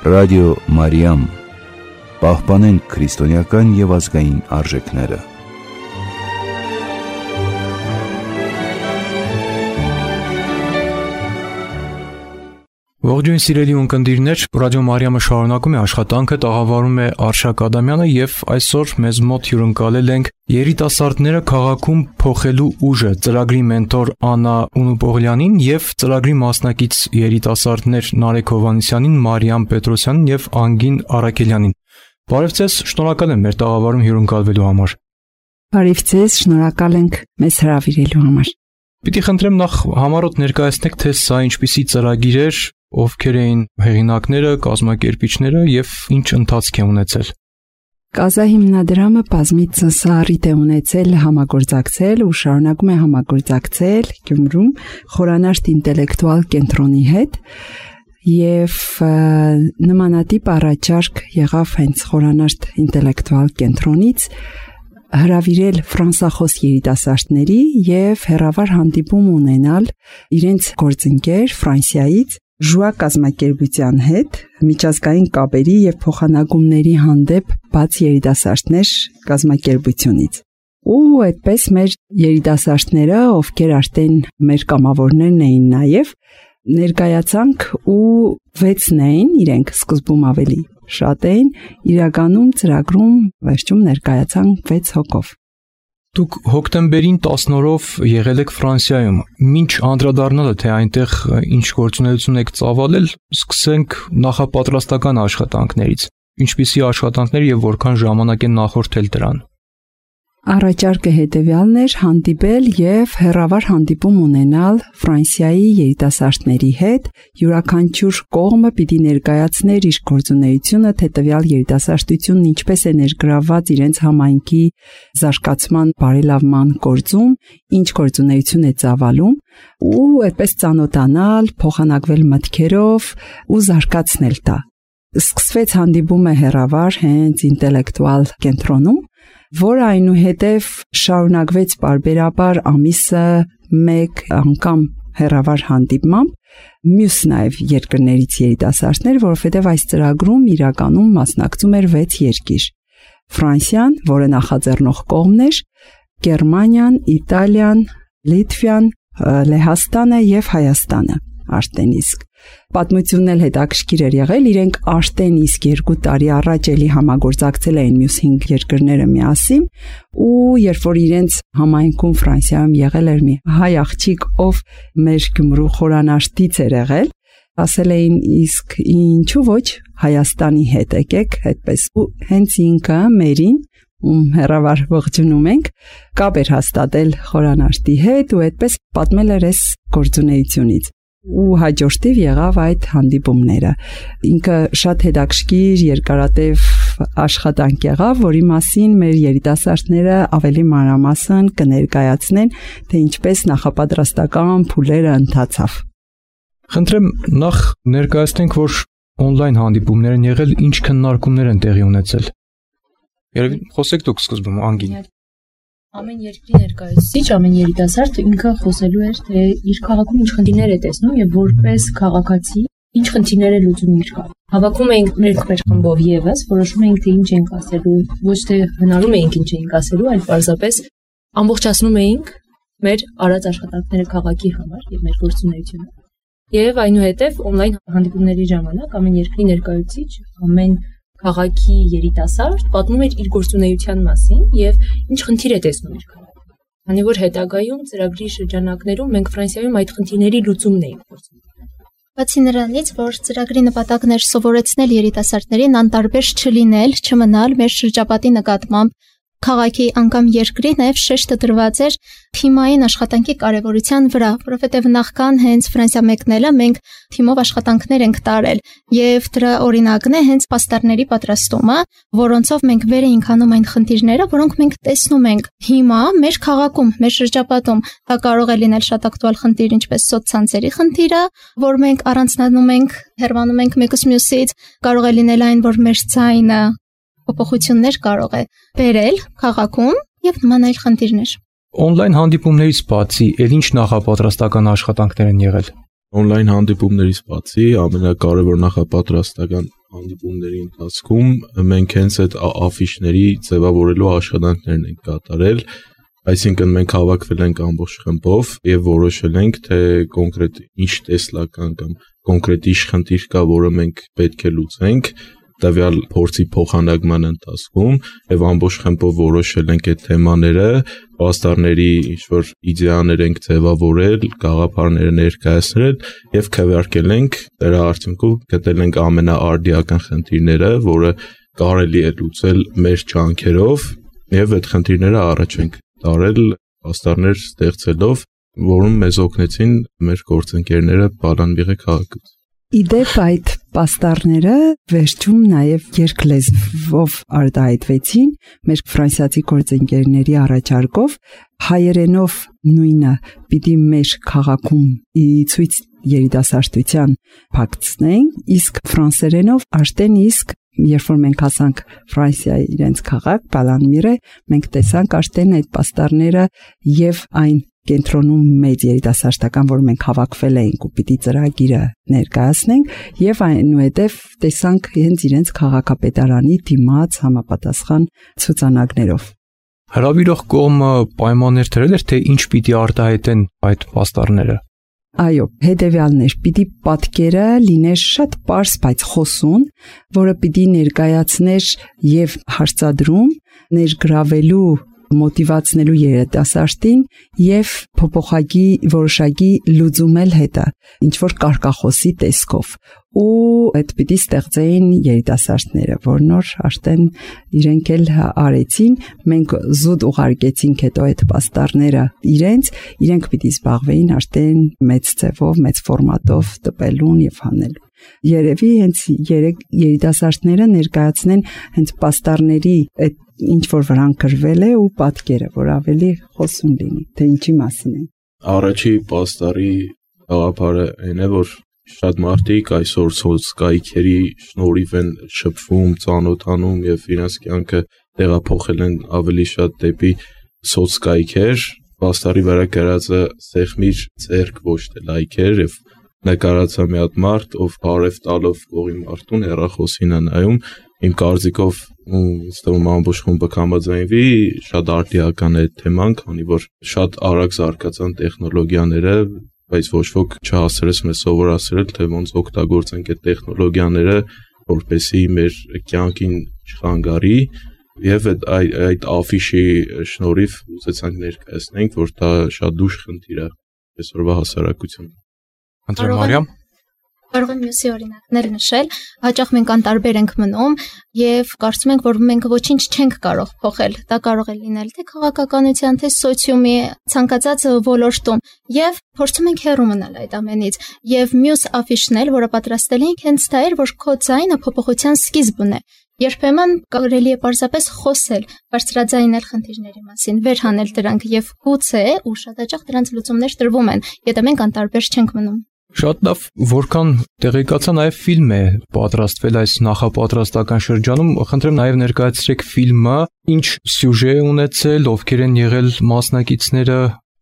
Ռադիո Մարիամ, պահպանենք քրիստոնեական և ազգային արժեքները։ Ողջույն սիրելի ունկնդիրներ, Ռադիո Մարիամը շարունակում է աշխատանքը, տաղավարում է Արշակ Ադամյանը և այսօր մեզ մոտ հյուրընկալել ենք երիտասարդները քաղաքում փոխելու ուժը ծրագրի մենտոր Աննա Ունուպողլյանին և ծրագրի մասնակից երիտասարդներ Նարեկ Հովհաննիսյանին, Մարիամ Պետրոսյանին և Անգին Արաքելյանին։ Բարև ձեզ, շնորհակալ եմ մեր տաղավարում հյուրընկալվելու համար։ Բարև ձեզ, շնորհակալ ենք մեզ հրավիրելու համար։ Պիտի խնդրեմ նախ համառոտ ներկայացնեք, թե սա ինչպիսի ծրագիր էր, ովքեր էին հեղինակները, կազմակերպիչները և ինչ ընթացք է ունեցել։ Կազահիմնադրամը բազմիցս առիթ է ունեցել համագործակցել ու շարունակում է համագործակցել Գյումրում խորանարդ ինտելեկտուալ կենտրոնի հետ և նմանատիպ առաջարկ եղավ հենց խորանարդ ինտելեկտուալ կենտրոնից հրավիրել ֆրանսախոս երիտասարդների և հեռավար հանդիպում ունենալ իրենց գործընկեր Ֆրանսիայից Ժուա կազմակերպության հետ միջազգային կապերի և փոխանակումների հանդեպ բաց երիտասարդներ կազմակերպությունից։ Ու այդպես մեր երիտասարդները, ովքեր արդեն մեր կամավորներն էին նաև, ներկայացանք ու 6-ն էին, իրենք սկզբում ավելի շատ էին, իրականում ծրագրում վերջում ներկայացանք 6 հոգով։ Դուք հոկտեմբերին 10-օրով եղել եք Ֆրանսիայում, մինչ անդրադառնալը, թե այնտեղ ինչ գործունեություն եք ծավալել, սկսենք նախապատրաստական աշխատանքներից։ Ինչպիսի աշխատանքներ և որքան ժամանակ են նախորդել դրան։ Առաջարկը հետևյալն էր՝ հանդիպել և հեռավար հանդիպում ունենալ Ֆրանսիայի երիտասարդների հետ, յուրաքանչյուր կողմը պիտի ներկայացներ իր գործունեությունը, թե տվյալ երիտասարդությունն ինչպես է ներգրավված իրենց համայնքի զարգացման, բարելավման գործում, ինչ գործունեություն է ծավալում, ու այդպես ծանոթանալ, փոխանակվել մտքերով ու զարգացնել դա։ Սկսվեց հանդիպումը հեռավար հենց ինտելեկտուալ կենտրոնում, որը այնուհետև շարունակվեց պարբերաբար ամիսը 1 անգամ հեռավար հանդիպմամբ, մյուս նաև երկրներից երիտասարդներ, որովհետև այս ծրագրում իրականում մասնակցում էր 6 երկիր. Ֆրանսիան, որը նախաձեռնող կողմն էր, Գերմանիան, Իտալիան, Լիտվան, Լեհաստանը և Հայաստանը արդեն իսկ։ Պատմությունն էլ հետաքրքիր էր եղել, իրենք արդեն իսկ 2 տարի առաջ էլի համագործակցել էին մյուս 5 երկրները միասին, ու երբ որ իրենց համայնքում Ֆրանսիայում եղել էր մի հայ աղջիկ, ով մեր Գյումրու խորանարդից էր եղել, ասել էին իսկ ինչու ոչ Հայաստանի հետ եկեք, այդպես ու հենց ինքը մերին ում հեռավար ողջունում ենք, կապ էր հաստատել խորանարդի հետ ու այդպես պատմել էր այս գործունեությունից։ Ու հաջորդիվ եղավ այդ հանդիպումները։ Ինքը շատ հետաքրքիր երկարատև աշխատանք եղավ, որի մասին մեր երիտասարդները ավելի մանրամասն կներկայացնեն, թե ինչպես նախապատրաստական փուլերը ընթացավ։ Խնդրեմ նախ ներկայացնենք, որ on-line հանդիպումներ են եղել, ինչ քննարկումներ են տեղի ունեցել։ Երևի խոսեք դուք սկզբում, Անգին։ Ամեն երկրի ներկայացուցիչ, ամեն երիտասարդ ինքը խոսելու էր, թե իր քաղաքում ինչ խնդիրներ է տեսնում եւ որպես քաղաքացի ինչ խնդիրներ է լուծում իր քաղաքում։ Հավաքում էինք մեր խմբով եւս, որոշում էինք, թե ինչ ենք ասելու, ոչ թե հնարում էինք ինչ էինք ասելու, այլ պարզապես ամբողջացնում էինք մեր արած աշխատանքները քաղաքի համար եւ մեր գործունեությունը։ Եվ այնուհետև on-line հանդիպումների ժամանակ ամեն երկրի ներկայացուցիչ, ամեն քաղաքի երիտասարդ պատմում էր իր գործունեության մասին եւ ինչ խնդիր է տեսնում իր քաղաքում։ Քանի որ հետագայում ծրագրի շրջանակներում մենք Ֆրանսիայում այդ խնդիրների լուծումն էինք փորձում։ Բացի նրանից, որ ծրագրի նպատակն էր սովորեցնել երիտասարդներին անտարբեր չլինել, չմնալ մեր շրջապատի նկատմամբ քաղաքի անգամ երկրի, նաև շեշտը դրված էր թիմային աշխատանքի կարևորության վրա, որովհետև նախքան հենց Ֆրանսիա մեկնելը մենք թիմով աշխատանքներ ենք տարել եւ դրա օրինակն է հենց պաստառների պատրաստումը, որոնցով մենք վեր էինք անում այն խնդիրները, որոնք մենք տեսնում ենք հիմա մեր քաղաքում, մեր շրջապատում։ Դա կարող է լինել շատ ակտուալ խնդիր, ինչպես սոցցանցերի խնդիրը, որ մենք առանձնանում ենք, հեռանում ենք մեկուս մյուսից, կարող է լինել այն, որ մեր ձայնը փոփոխություններ կարող է բերել քաղաքում եւ նման այլ խնդիրներ։ On-line հանդիպումներից բացի, ել ինչ նախապատրաստական աշխատանքներ են եղել։ On-line հանդիպումներից բացի ամենակարևոր նախապատրաստական հանդիպումների ընթացքում մենք հենց այդ աֆիշների ձևավորելու աշխատանքներն ենք կատարել, այսինքն մենք հավաքվել ենք ամբողջ խմբով եւ որոշել ենք, թե կոնկրետ ինչ տեսլական կամ կոնկրետ ինչ խնդիր կա, որը մենք պետք է լուծենք տվյալ փորձի փոխանակման ընթացքում եւ ամբողջ խմբով որոշել ենք այդ թեմաները, պաստառների ինչ-որ իդեաներ ենք ձևավորել, գաղափարները ներկայացրել եւ քվեարկել ենք, դրա արդյունքում գտել ենք ամենաարդիական խնդիրները, որը կարելի է լուծել մեր ջանքերով եւ այդ խնդիրները առաջ ենք տարել պաստառներ ստեղծելով, որում մեզ օգնեցին մեր գործընկերները Բալանբիղի քաղաքից։ Իդեպ այդ պաստառները վերջում նաև երկլեզվով արտահայտվեցին մեր ֆրանսիացի գործընկերների առաջարկով, հայերենով նույնը պիտի մեր քաղաքում ցույց երիտասարդության փակցնեն, իսկ ֆրանսերենով արդեն իսկ երբ որ մենք հասանք Ֆրանսիայի իրենց քաղաք Բալանմիրը, մենք տեսանք արդեն այդ պաստառները եւ այն կենտրոնում մեծ երիտասարդական, որ մենք հավաքվել էինք ու պիտի ծրագիրը ներկայացնենք եւ այնուհետեւ տեսանք հենց իրենց քաղաքապետարանի դիմաց համապատասխան ցուցանակներով։ Հրավիրող կողմը պայմաններ դրել էր, թե ինչ պիտի արտահայտեն այդ պաստառները։ Այո, հետևյալն էր, պիտի պատկերը լիներ շատ պարզ, բայց խոսուն, որը պիտի ներկայացներ եւ հարցադրում, ներգրավելու մոտիվացնելու երիտասարդին եւ փոփոխակի որոշակի լուծումել հետը ինչ որ կարկախոսի տեսքով ու այդ պիտի ստեղծեին երիտասարդները, որ նոր արդեն իրենք էլ արեցին, մենք զուտ ուղարկեցինք հետո այդ պաստառները իրենք պիտի զբաղվեին արդեն մեծ ձևով, մեծ ֆորմատով տպելուն եւ հանելուն։ Երևի հենց երեք երիտասարդները ներկայացնեն հենց պաստառների այդ ինչ որ վրան գրվել է ու պատկերը, որ ավելի խոսուն լինի, թե ինչի մասին է։ Առաջի պաստառի գաղափարը այն է, որ շատ մարդիկ այսօր սոցկայքերի շնորհիվ են շփվում, ծանոթանում եւ իրենց կյանքը տեղափոխել են ավելի շատ դեպի սոցկայքեր, պաստառի վրա գրածը սեղմիր ձեռք ոչ թե լայքեր եւ նկարացա մի հատ մարդ, ով բարև տալով կողի մարդուն հեռախոսին է նայում, իմ կարծիքով ըստում ամբողջ խումբը կհամաձայնվի, շատ արդիական է թեման, քանի որ շատ արագ զարգացան տեխնոլոգիաները, բայց ոչ ոք չհասցրեց մեզ սովորացրել, թե ոնց օգտագործենք այդ տեխնոլոգիաները, որպեսզի մեր կյանքին չխանգարի, եւ այդ աֆիշի շնորհիվ ուզեցանք ներկայացնենք, որ դա շատ դժ խնդիր է այսօրվա հասարակությունում։ Անդրե Մարիամ, կարող եմ մյուսի օրինակներ նշել, հաճախ մենք անտարբեր ենք մնում եւ կարծում ենք, որ մենք ոչինչ չենք կարող փոխել։ Դա կարող է լինել թե քաղաքականության, թե սոցիումի ցանկացած ոլորտում եւ փորձում ենք հեռու մնալ այդ ամենից։ Եվ մյուս աֆիշն էլ, որը պատրաստել ենք, հենց դա էր, որ քո ձայնը փոփոխության սկիզբն է։ Երբեմն կարելի է պարզապես խոսել, բարձրաձայնել խնդիրների մասին, վերհանել դրանք եւ գուցե ու շատ հաճախ դրանց լուծումներ տրվում են, եթե մենք անտարբեր չենք մնում։ Շատ լավ, որքան տեղեկացա նաև ֆիլմ է պատրաստվել այս նախապատրաստական շրջանում, խնդրեմ նաև ներկայացրեք ֆիլմը, ինչ սյուժե է ունեցել, ովքեր են եղել մասնակիցները։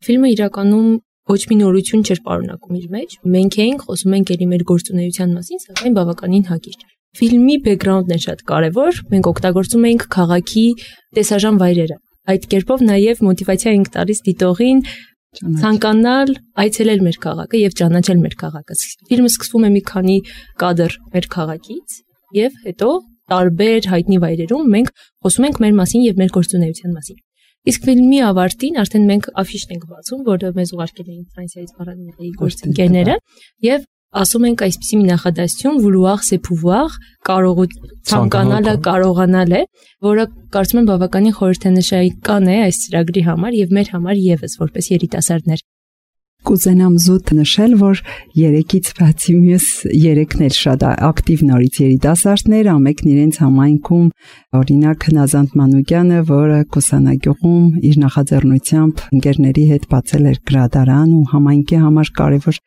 Ֆիլմը իրականում ոչ մի նորություն չէր պարունակում իր մեջ, մենք էինք խոսում ենք ելի մեր գործունեության մասին, սակայն բավականին հակիրճ։ Ֆիլմի բեքգրաունդն է շատ կարևոր, մենք օգտագործում ենք քաղաքի տեսարժան վայրերը։ Այդ կերպով նաև մոտիվացիա ենք տալիս դիտողին ցանկանալ այցելել մեր քաղաքը եւ ճանաչել մեր քաղաքը։ Ֆիլմը սկսվում է մի քանի կադր մեր քաղաքից եւ հետո տարբեր հայտնի վայրերում մենք խոսում ենք մեր մասին եւ մեր գործունեության մասին։ Իսկ ֆիլմի ավարտին արդեն մենք աֆիշն ենք բացում, որը մեզ ուղարկել էին Ֆրանսիայից Բալանբիղի գործընկերները եւ ասում ենք այսպիսի մի նախադասություն vouloir c'est pouvoir, ցանկանալը կարողանալ է, որը կարծում եմ բավականին խորհրդանշական է այս ծրագրի համար եւ մեր համար եւս որպես երիտասարդներ։ Կուզենամ զուտ նշել, որ երեքից բացի մյուս երեքն էլ շատ ակտիվ նորից երիտասարդներ, ամենքն իրենց համայնքում, օրինակ Նազանդ Մանուկյանը, որը Կուսանագյուղում իր նախաձեռնությամբ ընկերների հետ բացել էր գրադարան ու համայնքի համար կարևոր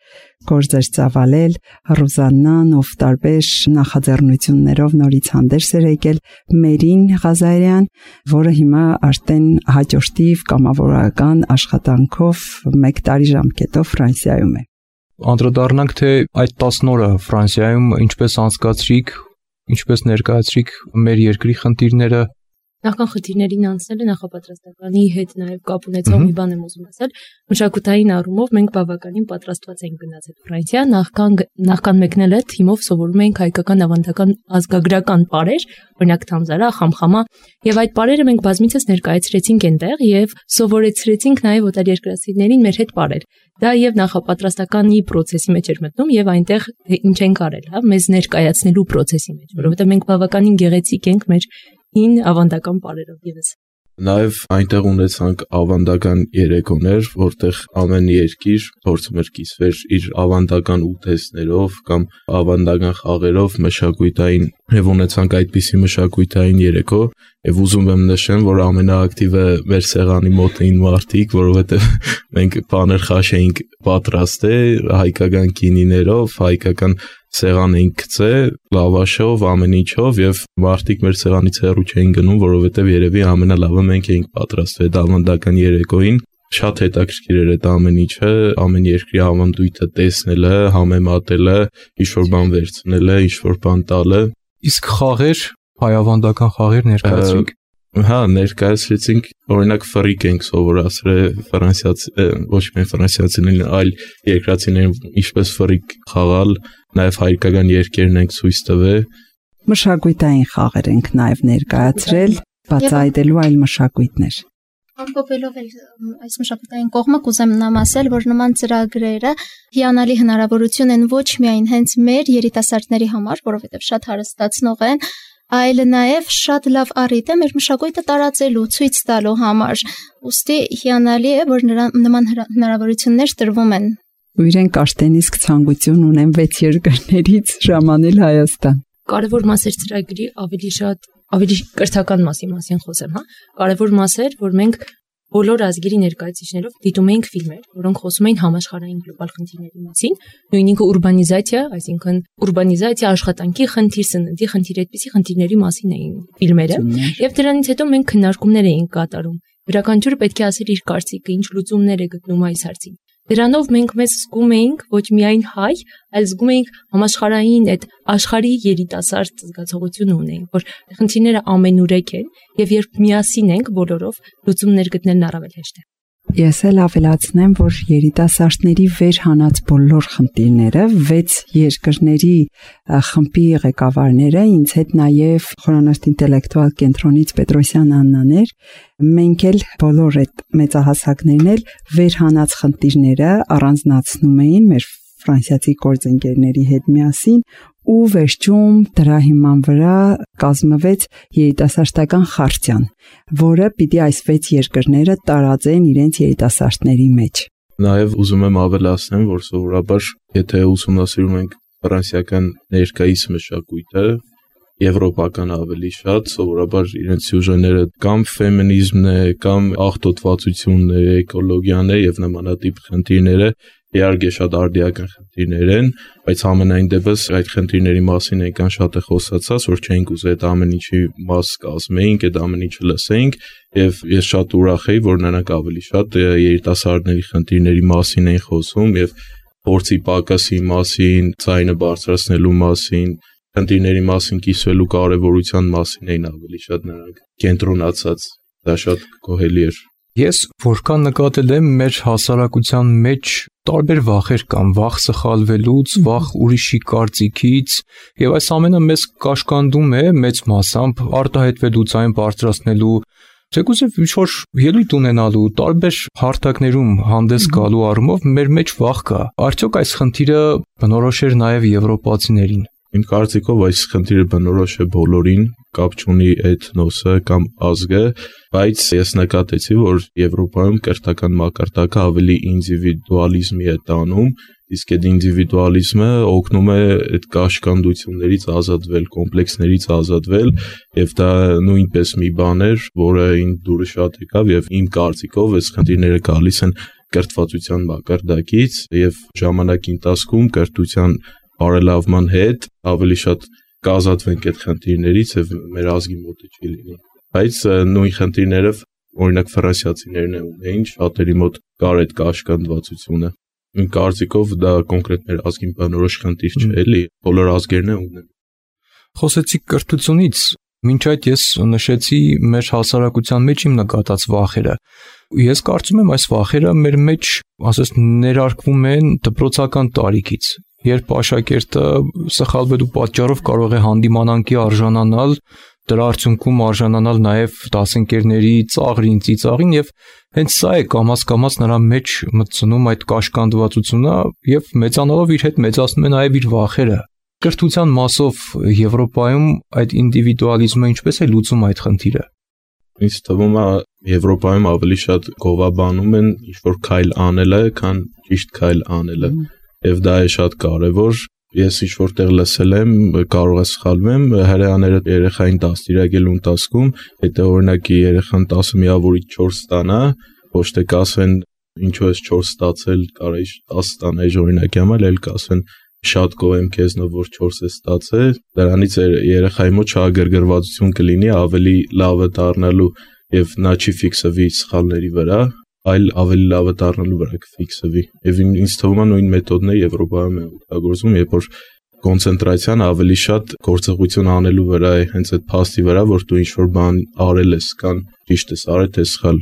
գործեր ծավալել, Ռուզաննան, ով տարբեր նախաձեռնություններով նորից հանդերձ էր եկել, Մերին Ղազարյան, որը հիմա արդեն հաջորդիվ կամավորական աշխատանքով 1 տարի ժամկետով Ֆրանսիայում է։ Անդրադառնանք, թե այդ 10 օրը Ֆրանսիայում ինչպես անցկացրիք, ինչպես ներկայացրիք մեր երկրի խնդիրները։ Նախքան խնդիրներին անցնելը նախապատրաստականի հետ նաև կապ ունեցող մի բան եմ ուզում ասել։ Մշակութային առումով մենք բավականին պատրաստված ենք գնաց այդ Ֆրանսիա, նախքան մեկնել այդ թիմով սովորում ենք հայկական ավանդական ազգագրական պարեր, օրինակ Թամզարա, Խամխամա, եւ այդ պարերը մենք բազմիցս ներկայացրեցինք այնտեղ եւ սովորեցրեցինք նաև օտարերկրացիներին մեր հետ պարեր։ Դա եւ նախապատրաստականի process-ի մեջ էր մտնում եւ այնտեղ ինչ ենք արել, հա, մեզ ներկայացնելու process-ի մեջ, որովհետեւ մենք բավականին գեղեցիկ ենք մեր ին ավանդական պարերով եւս։ Նաև այնտեղ ունեցանք ավանդական երեկոներ, որտեղ ամեն երկիր փորձում էր կիսվել իր ավանդական ուտեստներով կամ ավանդական խաղերով, մշակութային, եւ ունեցանք այդպիսի մշակութային երեկո, եւ ուզում եմ նշեմ, որ ամենաակտիվը մեր սեղանի մոտ էին մարդիկ, որովհետեւ մենք բաներ խաշ էինք պատրաստել հայկական գինիներով, հայկական սեղան էինք գցել, լավաշով, ամեն ինչով եւ մարդիկ մեր սեղանից հեռու չէին գնում, որովհետեւ երևի ամենալավը մենք էինք պատրաստվել այդ ավանդական երեկոյին։ Շատ հետաքրքիր էր այդ ամեն ինչը, ամեն երկրի ավանդույթը տեսնելը, համեմատելը, ինչ-որ բան վերցնելը, ինչ-որ բան տալը։ Իսկ խաղեր, հայ ավանդական խաղեր ներկայացրիք։ Հա, ներկայացրեցինք, օրինակ ֆրիկ ենք սովորացրել ֆրանսիացի, ոչ միայն ֆրանսիացիներին, այլ երկրացիներին ինչպես ֆրիկ խաղալ, նաև հայկական երկերն ենք ցույց տվել։ Մշակութային խաղեր ենք նաև ներկայացրել, բացահայտելու այլ մշակույթներ։ Ամփոփելով այս մշակութային կողմը կուզեմ նամ ասել, որ նման ծրագրերը հիանալի հնարավորություն են ոչ միայն հենց մեր երիտասարդների համար, որովհետև շատ հարստացնող են, այլ նաև շատ լավ առիթ է մեր մշակույթը տարածելու, ցույց տալու համար։ Ուստի հիանալի է, որ նման հնարավորություններ տրվում են։ Ու իրենք աշտենիսկ ցանկություն ունեն 6 երկրներից ժամանել Հայաստան։ Կարևոր մասեր ծրագրի ավելի կրթական մասին խոսեմ, հա։ Կարևոր մասեր, որ մենք բոլոր ազգերի ներկայացուցիչներով դիտում էինք ֆիլմեր, որոնք խոսում էին համաշխարհային գլոբալ խնդիրների մասին, նույնիսկ ուրբանիզացիա, այսինքն ուրբանիզացիա, աշխատանքի խնդիր, սննդի խնդիր, այդպիսի խնդիրների մասին էին ֆիլմերը, եւ դրանից հետո մենք քննարկումներ էինք կատարում։ Յուրաքանչյուրը պետք է ասեր իր կարծիքը, ինչ լուծումներ է գտնում այս հարցին։ Դրանով մենք մեզ զգում էինք ոչ միայն հայ, այլ զգում էինք համաշխարհային այդ աշխարհի երիտասարդ զգացողություն ունեինք, որ խնդիրները ամենուրեք են եւ երբ միասին ենք բոլորով, լուծումներ գտնելն առավել հեշտ է։ Ես էլ ավելացնեմ, որ երիտասարդների վեր հանած բոլոր խնդիրները 6 երկրների խմբի ղեկավարները, ինձ հետ նաև խորանարդ ինտելեկտուալ կենտրոնից Պետրոսյան Աննաներ, մենք էլ բոլոր այդ մեծահասակներն էլ վեր հանած խնդիրները առանձնացնում էին մեր ֆրանսիացի գործընկերների հետ միասին ու վերջում դրա հիման վրա կազմվեց երիտասարդական խարտիան, որը պիտի այս 6 երկրները տարածեն իրենց երիտասարդների մեջ։ Նաև ուզում եմ ավելացնել, որ սովորաբար եթե ուսումնասիրում ենք ֆրանսիական ներկայիս մշակույթը, եվրոպական ավելի շատ, սովորաբար իրենց սյուժեները կամ ֆեմինիզմն է, կամ աղտոտվածությունն է, էկոլոգիան է եւ նմանատիպ խնդիրները իհարկե շատ արդիական խնդիրներ են, բայց ամենայն դեպս այդ խնդիրների մասին այնքան շատ է խոսացած, որ չենք ուզել այդ ամեն ինչի մաս կազմեինք, այդ ամեն ինչը լսեինք, եւ ես շատ ուրախ եի, որ նրանք ավելի շատ երիտասարդների խնդիրների մասին են խոսում եւ փորձի պակասի մասին, ցայնը բարձրացնելու մասին, խնդիրների մասին կիսվելու կարեւորության մասին էին ավելի շատ նրանք կենտրոնացած, դա շատ գոհելի էր։ Ես որքան նկատել եմ մեր հասարակության մեջ տարբեր վախեր կան, վախ սխալվելուց, վախ ուրիշի կարծիքից, եւ այս ամենը մեզ կաշկանդում է մեծ մասամբ արտահայտվելու, ցայն բարձրացնելու, թեկուզև ինչ-որ ելույթ ունենալու, տարբեր հարթակներում հանդես գալու առումով մեր մեջ վախ կա։ Արդյոք այս խնդիրը բնորոշ էր նաեւ եվրոպացիներին։ Իմ կարծիքով այս խնդիրը բնորոշ է բոլորին, կապ չունի էթնոսը կամ ազգը, բայց ես նկատեցի, որ Եվրոպայում կրթական մակարդակը ավելի ինդիվիդուալիզմի է տանում, իսկ այդ ինդիվիդուալիզմը օգնում է այդ կաշկանդություններից ազատվել, կոմպլեքսներից ազատվել, եւ դա նույնպես մի բան էր, որը ինձ դուրս շատ եկավ եւ իմ կարծիքով այս խնդիրները գալիս են կրթվածության մակարդակից եւ ժամանակի ընթացքում կրթության բարելավման հետ ավելի շատ կազատվենք այդ խնդիրներից եւ մեր ազգի մոտ չի լինի։ Բայց նույն խնդիրները օրինակ ֆրանսիացիներն ունեին, շատերի մոտ կար այդ կաշկանդվածությունը։ Իմ կարծիքով դա կոնկրետ մեր ազգին բնորոշ խնդիր չէ, էլի, բոլոր ազգերն ունեն։ Խոսեցիք կրթությունից, մինչ այդ ես նշեցի մեր հասարակության մեջ իմ նկատած վախերը։ Ես կարծում եմ այս վախերը մեր մեջ, ասես, ներարկվում են դպրոցական տարիքից, երբ աշակերտը սխալվելու պատճառով կարող է հանդիմանանքի արժանանալ, դրա արդյունքում արժանանալ նաև դասընկերների ծաղրին, ծիծաղին, եւ հենց սա է կամաց-կամաց նրա մեջ մտցնում այդ կաշկանդվածությունը եւ մեծանալով իր հետ մեծացնում է նաև իր վախերը։ Կրթության մասով Եվրոպայում այդ ինդիվիդուալիզմը ինչպես է լուծում այդ խնդիրը։ Ինձ թվում է Եվրոպայում ավելի շատ գովաբանում են ինչ-որ քայլ անելը, քան ճիշտ քայլ անելը, եւ դա է շատ կարեւոր։ Ես ինչ-որտեղ լսել եմ, կարող է սխալվեմ, հրեաները երեխային դաստիարակելու ընթացքում, եթե օրինակի երեխան 10 միավորից 4 ստանա, ոչ թե կասեն ինչու ես 4 ստացել, կարա 10 ստանա, օրինակի համար, այլ կասեն շատ գոհ եմ քեզնով, որ 4 ես ստացել, դրանից երեխայի մոտ շահագրգռվածություն կլինի, ավելի լավը դառնալու եւ նա չի ֆիքսվի սխալների վրա, այլ ավելի լավը դառնալու վրա կֆիքսվի։ Եվ ինձ թվում է նույն մեթոդն է Եվրոպայում օգտագործվում, երբ որ կոնցենտրացիան ավելի շատ գործողություն անելու վրա է, հենց այդ փաստի վրա, որ դու ինչ-որ բան արել ես, կան ճիշտ ես արել, թե սխալ։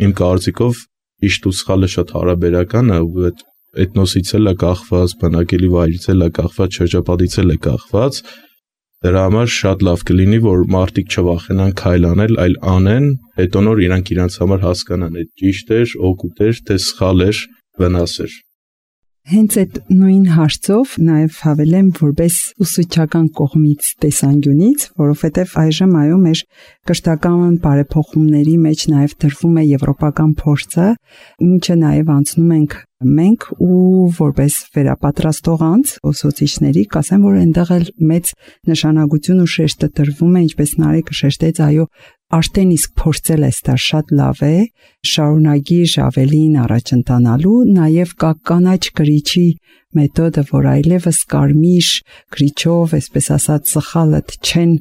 Իմ կարծիքով ճիշտ ու սխալը շատ հարաբերական է, ու էթնոսից էլ է կախված, բնակելի վայրից էլ է կախված, շրջապատից էլ է կախված։ Դրա համար շատ լավ կլինի, որ մարդիկ չվախենան քայլ անել, այլ անեն, հետո նոր իրանք իրանց համար հասկանան, այդ ճիշտ էր, օգուտ էր, թե սխալ էր, վնաս էր։ Հենց այդ նույն հարցով նաև հավելեմ որպես ուսուցչական կողմից տեսանկյունից, որովհետև այժմ այո մեր կրթական բարեփոխումների մեջ նաև դրվում է եվրոպական փորձը, ինչը նաև անցնում ենք մենք ու որպես վերապատրաստող անձ ուսուցիչների կասեմ, որ այնտեղ էլ մեծ նշանակություն ու շեշտը տրվում է, ինչպես Նարեկը շեշտեց, այո, արդեն իսկ փորձել ես դա շատ լավ է, շարունակիր ավելին առաջ ընթանալու, նաև կա կանաչ կրիչի մեթոդը, որ այլևս կարմիր կրիչով, այսպես ասած, սխալդ չեն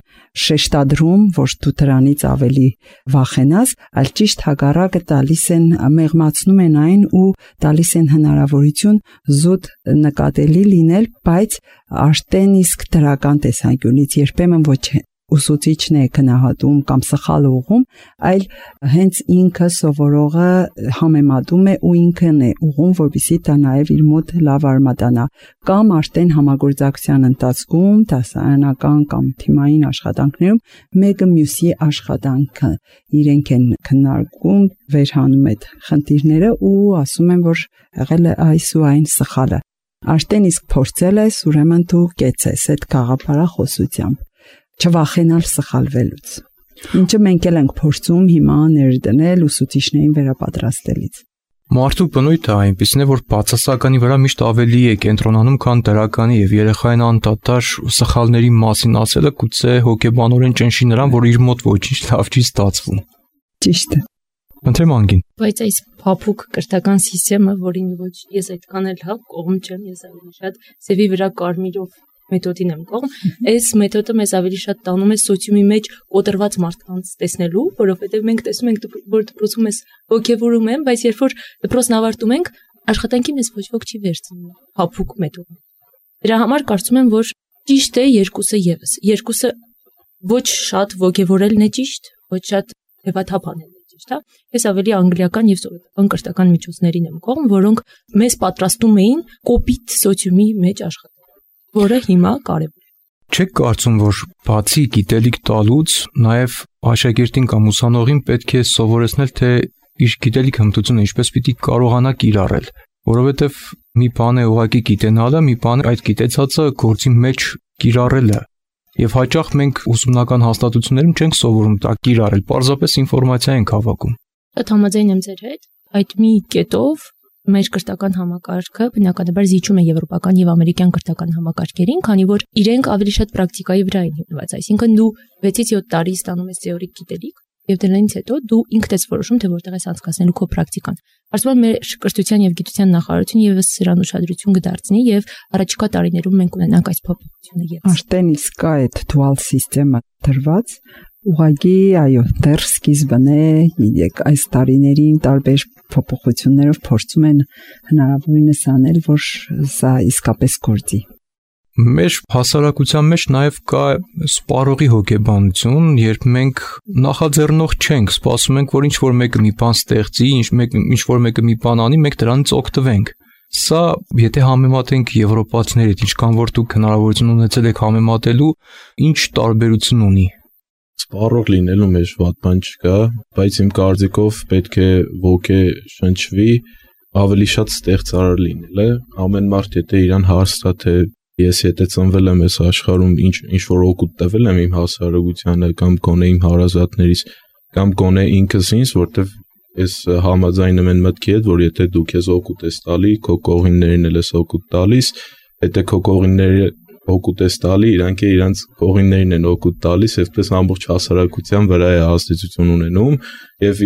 շեշտադրում, որ դու դրանից ավելի վախենաս, այլ ճիշտ հակառակը տալիս են, մեղմացնում են այն ու տալիս են հնարավորություն զուտ նկատելի լինել, բայց արդեն իսկ դրական տեսանկյունից երբեմն ոչ ուսուցիչն է գնահատում կամ սխալ ուղում, այլ հենց ինքը սովորողը համեմատում է ու ինքն է ուղում, որպեսզի դա նաև իր մոտ լավ արմատանա, կամ արդեն համագործակցության ընթացքում դասարանական կամ թիմային աշխատանքներում մեկը մյուսի աշխատանքը իրենք են քննարկում, վերհանում այդ խնդիրները ու ասում են, որ եղել է այս ու այն սխալը։ Արդեն իսկ փորձել ես, ուրեմն դու կեցես այդ գաղափարախոսությամբ։ Չվախենալ սխալվելուց։ Ինչը մենք էլ ենք փորձում հիմա ներդնել ուսուցիչներին վերապատրաստելից։ Մարդու բնույթը այնպիսին է, որ բացասականի վրա միշտ ավելի է կենտրոնանում, քան դրականի, եւ երեխային անդադար սխալների մասին ասելը գուցե հոգեբանորեն ճնշի նրան, որ իր մոտ ոչինչ լավ չի ստացվում։ Ճիշտ է։ Ընտրեմ անգին։ Բայց այս փափուկ կրթական համակարգը, որին ոչ ես այդքան էլ հա կողմ չեմ, ես ավելի շատ սևի վրա կարմիրով մեթոդին եմ կողմ, այս մեթոդը մեզ ավելի շատ տանում է սոցիումի մեջ կոտրված մարդկանց տեսնելու, որովհետև մենք տեսնում ենք, որ դպրոցում ես ոգևորում են, բայց երբ որ դպրոցն ավարտում ենք, աշխատանքի մեզ ոչ ոք չի վերցնում փափուկ մեթոդը։ Դրա համար կարծում եմ, որ ճիշտ է երկուսը ևս։ Երկուսը ոչ շատ ոգևորելն է ճիշտ, ոչ շատ հեվաթափանելն է ճիշտ, հա։ Ես ավելի անգլիական եւ սովետական կրթական միջոցներին եմ կողմ, որոնք մեզ պատրաստում էին կոպիտ սոցիումի մեջ աշխատել, որը հիմա կարևոր է։ Չեք կարծում, որ բացի գիտելիք տալուց, նաև աշակերտին կամ ուսանողին պետք է սովորեցնել, թե իր գիտելիք հմտությունը ինչպես պիտի կարողանա կիրառել, որովհետև մի բան է ուղղակի գիտենալը, մի բան է այդ գիտեցածը գործի մեջ կիրառելը։ Եվ հաճախ մենք ուսումնական հաստատություններում չենք սովորում դա կիրառել, պարզապես ինֆորմացիա ենք հավաքում։ Դա համաձայն եմ ձեր հետ, այդ մի կետով մեր կրթական համակարգը բնականաբար զիջում է եվրոպական եւ ամերիկյան կրթական համակարգերին, քանի որ իրենք ավելի շատ պրակտիկայի վրա են հիմնված, այսինքն դու 6-ից 7 տարի ստանում ես թեորիկ գիտելիք եւ դրանից հետո դու ինքդ ես որոշում, թե որտեղ ես անցկացնելու քո պրակտիկան։ Կարծում եմ մեր կրթության եւ գիտության նախարարությունը եւս սրան ուշադրություն կդարձնի եւ առաջիկա տարիներում մենք ունենանք այս փոփոխությունը եւս։ Արդեն իսկ կա այդ dual system-ը դրված, ուղղակի այո, դեռ սկիզբն է, այս տարիներին տարբեր փոփոխություններով փորձում են հնարավորինս անել, որ սա իսկապես գործի։ Մեր հասարակության մեջ նաև կա սպառողի հոգեբանություն, երբ մենք նախաձեռնող չենք, սպասում ենք, որ ինչ-որ մեկը մի բան ստեղծի, ինչ-որ մեկը մի բան անի, մենք դրանից օգտվենք։ Սա, եթե համեմատենք եվրոպացիների հետ, ինչքան որ դուք հնարավորություն ունեցել եք համեմատելու, ինչ տարբերություն ունի։ Սպառող լինելու մեջ վատ բան չկա, բայց իմ կարծիքով պետք է ոգե շնչվի, ավելի շատ ստեղծարար լինել է։ Ամեն մարդ եթե իրան հարցնա, թե ես եթե ծնվել եմ այս աշխարհում ինչ որ օգուտ տվել եմ իմ հասարակությանը կամ գոնե իմ հարազատներից կամ գոնե ինքս ինձ, որտեվ ես համաձայնում եմ մտքի հետ, որ եթե դու քեզ օգուտ ես տալի, քո կողիններին էլ ես օգուտ տալիս, եթե քո կողինները օգուտ ես տալի, իրանք իրանց կողիններին են օգուտ տալիս, այսպես ամբողջ հասարակության վրա է ազդեցություն ունենում եւ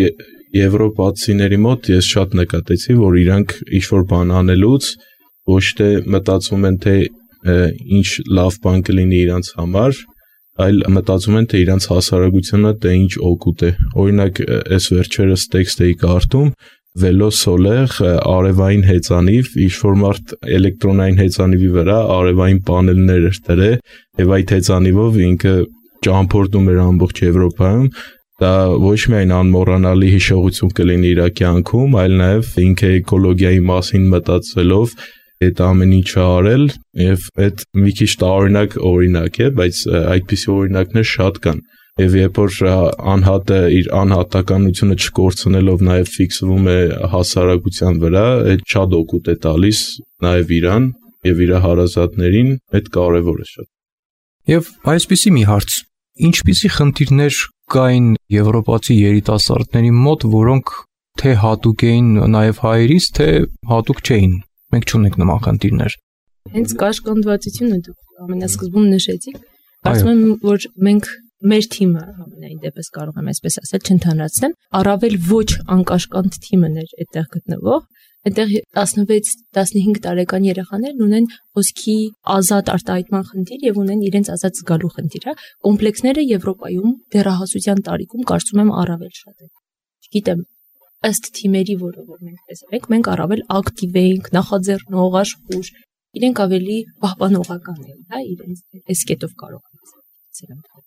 եվրոպացիների մոտ ես շատ նկատեցի, որ իրանք ինչ-որ բան անելուց ոչ թե մտածում են, թե ինչ լավ բան կլինի իրանց համար, այլ մտածում են, թե իրանց հասարակությունը թե ինչ օգուտ է։ Օրինակ, այս վերջերս տեքստ էի կարդում, վելոսոլեղ արևային հեծանիվ, ինչ-որ մարդ էլեկտրոնային հեծանիվի վրա արևային պանելներ էր դրել եւ այդ հեծանիվով ինքը ճամփորդում էր ամբողջ Եվրոպայում, դա ոչ միայն անմոռանալի հիշողություն կլինի իր կյանքում, այլ նաեւ ինքը էկոլոգիայի մասին մտածելով այդ ամեն ինչը արել եւ այդ մի քիչ օրինակ է, բայց այդպիսի օրինակներ շատ կան։ Եվ երբ որ անհատը իր անհատականությունը չկորցնելով նաև ֆիքսվում է հասարակության վրա, այդ շատ օգուտ է տալիս նաև իրան եւ իր հարազատներին, այդ կարևոր է շատ։ Եվ այսպիսի մի հարց, ինչպիսի խնդիրներ կային եվրոպացի երիտասարդների մոտ, որոնք թե հատուկ էին նաև հայերից, թե հատուկ չէին։ Մենք չունենք նման խնդիրներ։ Հենց կաշկանդվածությունը դուք ամենասկզբում նշեցիք, ասում եմ, որ մենք մեր թիմը ամենայն դեպս կարող եմ այսպես ասել, չընդհանրացնեմ, առավել ոչ անկաշկանդ թիմն էր այդտեղ գտնվող, այդտեղ 16-15 տարեկան երեխաներն ունեն խոսքի ազատ արտահայտման խնդիր եւ ունեն իրենց ազատ զգալու խնդիր, հա, կոմպլեքսները Եվրոպայում դեռահասության տարիքում կարծում եմ առավել շատ են։ Չգիտեմ, ըստ թիմերի, որը որ մենք տեսել ենք, մենք առավել ակտիվ ենք, նախաձեռնող, աշխուժ, իրենք ավելի պահպանողական են, հա, իրենց այս կետով կարող են։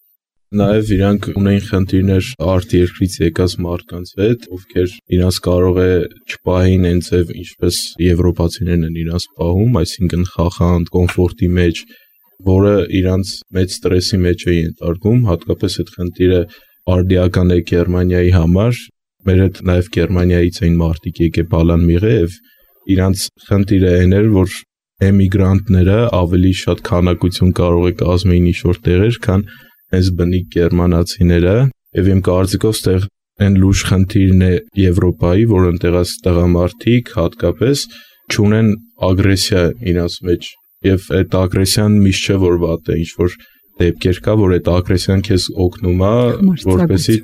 Նաև իրանք ունեն խնդիրներ արտերկրից եկած մարդկանց հետ, ովքեր իրանց կարող է չպահին այն ձև, ինչպես եվրոպացիներն են իրանց պահում, այսինքն խախանդ, կոմֆորտի մեջ, որը իրանց մեծ ստրեսի մեջ է ենթարկում, հատկապես այդ խնդիրը արդիական է Գերմանիայի համար, մեր հետ նաև Գերմանիայից էին մարդիկ եկե բալան մიღե եւ իրանց խնդիրը այն էր, որ էմիգրանտները ավելի շատ քանակություն կարող է կազմեին ինչ-որ տեղեր, քան այս բնիկ գերմանացիները, եւ իմ կարծիքով ստեղ այն լուրջ խնդիրն է Եվրոպայի, որ այնտեղած տղամարդիկ հատկապես չունեն ագրեսիա իրաց մեջ, եւ այդ ագրեսիան միշտ չէ որ վատ է, ինչ որ դեպքեր կա, որ այդ ագրեսիան քեզ օգնում է, որպեսզի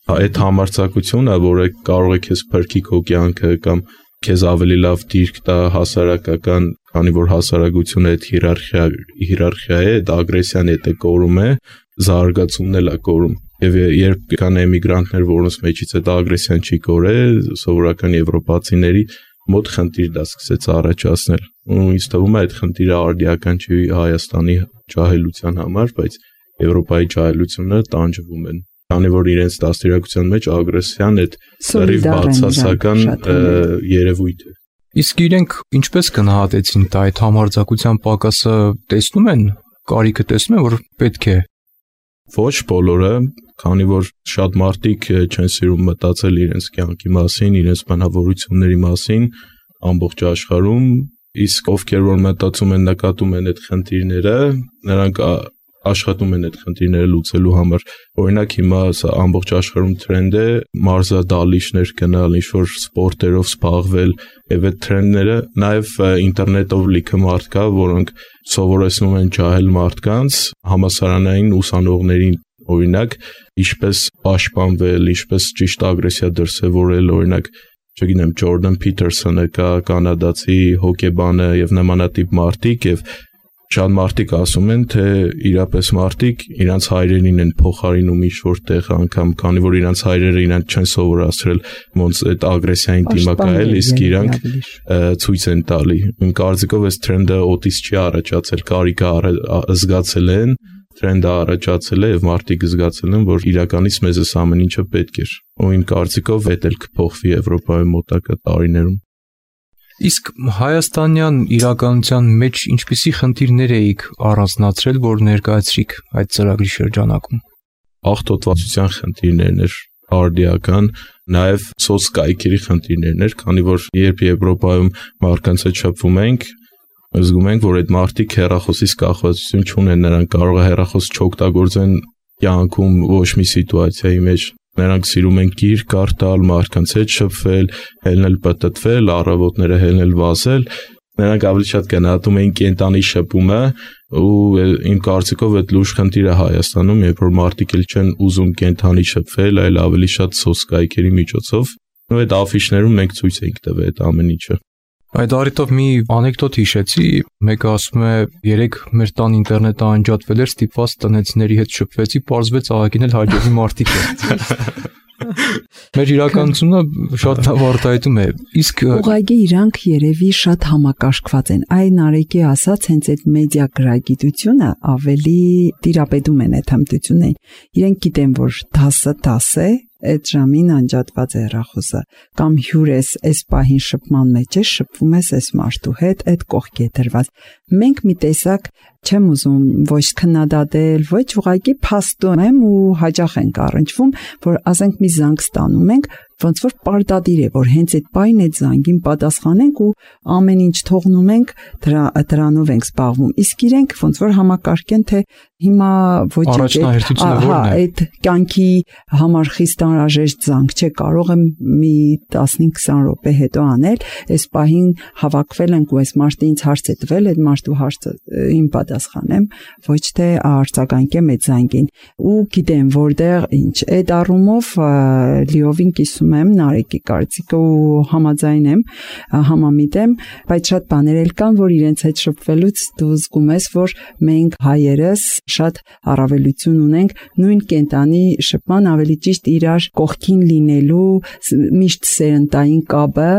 այդ համարձակությունը, որը կարող է քեզ փրկի քո կյանքը կամ քեզ ավելի լավ դիրք տա հասարակական, քանի որ հասարակությունը այդ հիերարխիա է, այդ ագրեսիան եթե կորում է, զարգացումն էլ է կորում։ Եվ երբ կան էմիգրանտներ, որոնց մեջից այդ ագրեսիան չի կորել, սովորական եվրոպացիների մոտ խնդիր դա սկսեց առաջացնել։ Ու ինձ թվում է այդ խնդիրը արդիական չի Հայաստանի ջահելության համար, բայց Եվրոպայի ջահելությունը տանջվում են, քանի որ իրենց դաստիարակության մեջ ագրեսիան այդ սերիվ բացասական երևույթ է։ Իսկ իրենք ինչպես գնահատեցին դա այդ համարձակության պակասը, տեսնում են, կարիքը տեսնում են, որ պետք է։ Ոչ բոլորը, քանի որ շատ մարդիկ չեն սիրում մտածել իրենց կյանքի մասին, իրենց բնավորությունների մասին ամբողջ աշխարհում, իսկ ովքեր որ մտածում են, նկատում են այդ խնդիրները, նրանք աշխատում են այդ խնդիրները լուծելու համար։ Օրինակ հիմա սա ամբողջ աշխարհում տրենդ է մարզադահլիճներ գնալ, ինչ-որ սպորտերով զբաղվել, եւ այդ տրենդները նաեւ ինտերնետով լիքը մարդ կա, որոնք սովորեցնում են ջահել մարդկանց, համասարանային ուսանողներին, օրինակ, ինչպես պաշտպանվել, ինչպես ճիշտ ագրեսիա դրսևորել, օրինակ, չգիտեմ, Ջորդան Փիթերսոնը կա, կանադացի հոկեբանը եւ նմանատիպ մարդիկ եւ Շատ մարդիկ ասում են, թե իրապես մարդիկ իրանց հայրենին են փոխարինում ինչ-որ տեղ անգամ, քանի որ իրանց հայրերը իրանք չեն սովորացրել ոնց այդ ագրեսիային դիմակայել, իսկ իրանք ցույց են տալի։ Իմ կարծիքով այս թրենդը օտից չի առաջացել, կարիքը զգացել են, թրենդը առաջացել է եւ մարդիկ զգացել են, որ իրականից մեզ այս ամեն ինչը պետք էր։ Ու իմ կարծիքով դա էլ կփոխվի Եվրոպայում մոտակա տարիներում։ Իսկ հայաստանյան իրականության մեջ ինչպիսի խնդիրներ էիք առանձնացրել, որ ներկայացրիք այդ ծրագրի շրջանակում։ Աղտոտվածության խնդիրներն էր արդիական, նաև սոցկայքերի խնդիրներն էր, քանի որ երբ Եվրոպայում մարդկանց հետ շփվում ենք, զգում ենք, որ այդ մարդիկ հեռախոսից կախվածություն չունեն, նրանք կարող է հեռախոս չօգտագործեն կյանքում ոչ մի սիտուացիայի մեջ։ Նրանք սիրում են գիրք կարդալ, մարդկանց հետ շփվել, հելնել պտտվել, առավոտները հելնել վազել։ Նրանք ավելի շատ գնահատում են կենտանի շփումը ու իմ կարծիքով այդ լուրջ խնդիր է Հայաստանում, երբ որ մարդիկ էլ չեն ուզում կենտանի շփվել, այլ ավելի շատ սոցկայքերի միջոցով։ Ու այդ աֆիշներում մենք ցույց ենք տվել այդ ամեն ինչը։ Այդ առիթով մի անեկդոտ հիշեցի, մեկը ասում է, երեք մեր տան ինտերնետը անջատվել էր, ստիպված տնեցիների հետ շփվեցի, պարզվեց աղագին էլ հաջողի մարդիկ են։ Մեր իրականությունը շատ լավ արտահայտում է։ Իսկ ուղղակի իրանք երևի շատ համակարգված են։ Այն Արեգի ասած հենց այդ մեդիա գրագիտությունը ավելի տիրապետում են այդ հմտություններին։ Իրենք գիտեն, որ դասը է, այդ ժամին անջատված է հեռախոսը, կամ հյուր այս պահին շփման մեջ է, շփվում ես այս մարդու հետ, այդ կողքի է դրված։ Մենք մի տեսակ չեմ ուզում ոչ քննադատել, ոչ ուղղակի փաստում եմ ու հաճախ ենք առնչվում, որ ասենք մի զանգ ստանում ենք, ոնց որ պարտադիր է, որ հենց այդ պահին այդ զանգին պատասխանենք ու ամեն ինչ թողնում ենք, դրանով ենք զբաղվում։ Իսկ իրենք ոնց որ համակարգեն, թե հիմա ոչ այդ կյանքի համար խիստ անհրաժեշտ զանգ չէ, կարող եմ մի 15-20 րոպե հետո անել, այս պահին հավաքվել ենք ու այս մարդը ինձ հարց է տվել, այդ մարդու հարցը իմ պատասխանեմ, ոչ թե արձագանքեմ այդ զանգին։ Ու գիտեմ, որտեղ ինչ, այդ առումով լիովին կիսում եմ Նարեկի կարծիքը ու համաձայն եմ, համամիտ եմ, բայց շատ բաներ էլ կան, որ իրենց հետ շփվելուց դու զգում ես, որ մենք հայերս շատ առավելություն ունենք նույն կենտանի շփման, ավելի ճիշտ իրար կողքին լինելու միշտ սերնդային կապը,